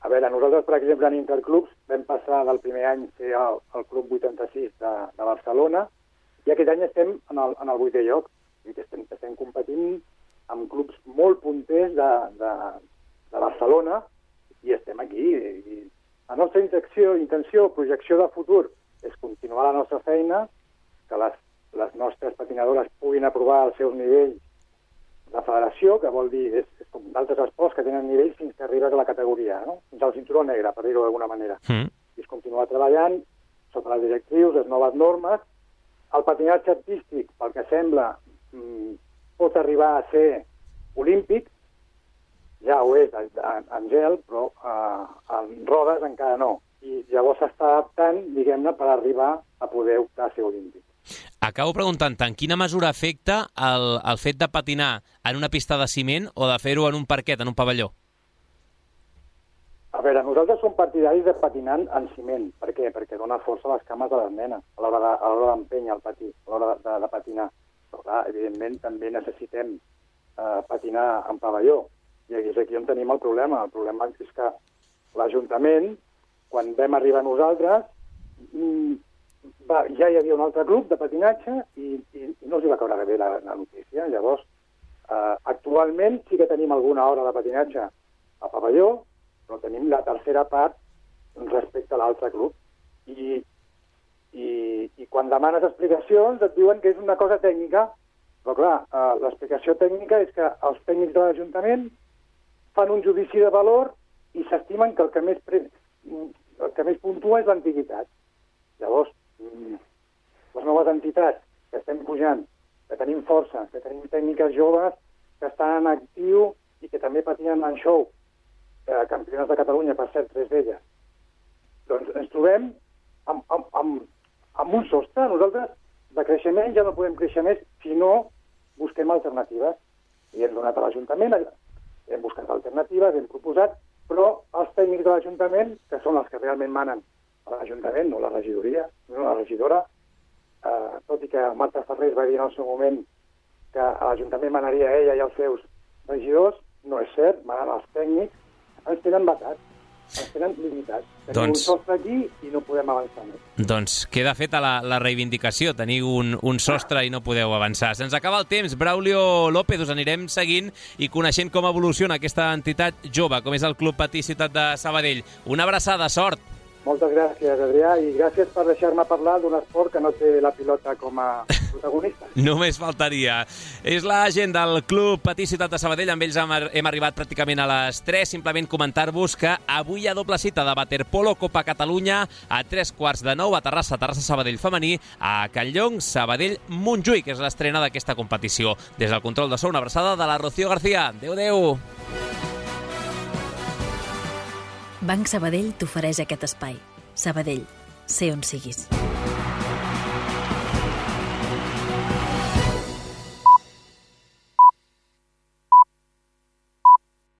A veure, nosaltres, per exemple, en Interclubs vam passar del primer any a ser el, el Club vuitanta-sis de, de Barcelona i aquest any estem en el, en el vuitè lloc. I estem, estem competint amb clubs molt punters de, de, de Barcelona i estem aquí. I la nostra intenció, intenció, projecció de futur és continuar la nostra feina, que les, les nostres patinadores puguin aprovar els seus nivells de federació, que vol dir, és, és com d'altres esports que tenen nivells fins que arribes a la categoria, no? Fins al cinturó negre, per dir-ho d'alguna manera. Mm. I és continuar treballant sota les directrius, les noves normes. El patinatge artístic, pel que sembla, pot arribar a ser olímpic, ja ho és en gel, però eh, en rodes encara no. I llavors s'està adaptant, diguem-ne, per arribar a poder optar a ser olímpic. Acabo preguntant-te, en quina mesura afecta el, el fet de patinar en una pista de ciment o de fer-ho en un parquet, en un pavelló? A veure, nosaltres som partidaris de patinar en ciment. Per què? Perquè dona força a les cames de les nenes a l'hora d'empènyer el patí, a l'hora de, de, de patinar. Però, clar, evidentment, també necessitem eh, patinar en pavelló. I és aquí on tenim el problema. El problema és que l'Ajuntament, quan vam arribar nosaltres, va, ja hi havia un altre club de patinatge i, i, i no els va caure bé la, la notícia. Llavors, eh, actualment sí que tenim alguna hora de patinatge a pavelló, però tenim la tercera part respecte a l'altre club. I, i, i quan demanes explicacions et diuen que és una cosa tècnica, però clar, eh, l'explicació tècnica és que els tècnics de l'Ajuntament fan un judici de valor i s'estimen que el que més, pre... el que més puntua és l'antiguitat. Llavors, les noves entitats que estem pujant, que tenim força, que tenim tècniques joves que estan en actiu i que també patien en show, eh, campionats de Catalunya, per cert, tres d'elles, doncs ens trobem amb, amb, amb, amb un sostre. Nosaltres de creixement ja no podem créixer més si no busquem alternatives. I hem donat a l'Ajuntament, hem buscat alternatives, hem proposat, però els tècnics de l'Ajuntament, que són els que realment manen a l'Ajuntament, no la regidoria, no la regidora, eh, tot i que Marta Ferrés va dir en el seu moment que a l'Ajuntament manaria ella i els seus regidors, no és cert, manen els tècnics, ens tenen batats, ens tenen limitats. Tenim doncs... un sostre aquí i no podem avançar més. Doncs queda feta la, la reivindicació, teniu un, un sostre i no podeu avançar. Se'ns acaba el temps. Braulio López, us anirem seguint i coneixent com evoluciona aquesta entitat jove, com és el Club Patí Ciutat de Sabadell. Una abraçada, sort! Moltes gràcies, Adrià, i gràcies per deixar-me parlar d'un esport que no té la pilota com a protagonista. Només faltaria. És la gent del Club Patí Ciutat de Sabadell. Amb ells hem arribat pràcticament a les tres. Simplement comentar-vos que avui hi ha doble cita de Waterpolo Copa Catalunya a tres quarts de nou a Terrassa, Terrassa Sabadell femení, a Canllong, Sabadell Montjuïc, que és l'estrena d'aquesta competició. Des del control de so, una abraçada de la Rocío García. Adéu, adéu. Banc Sabadell t'ofereix aquest espai. Sabadell, sé on siguis.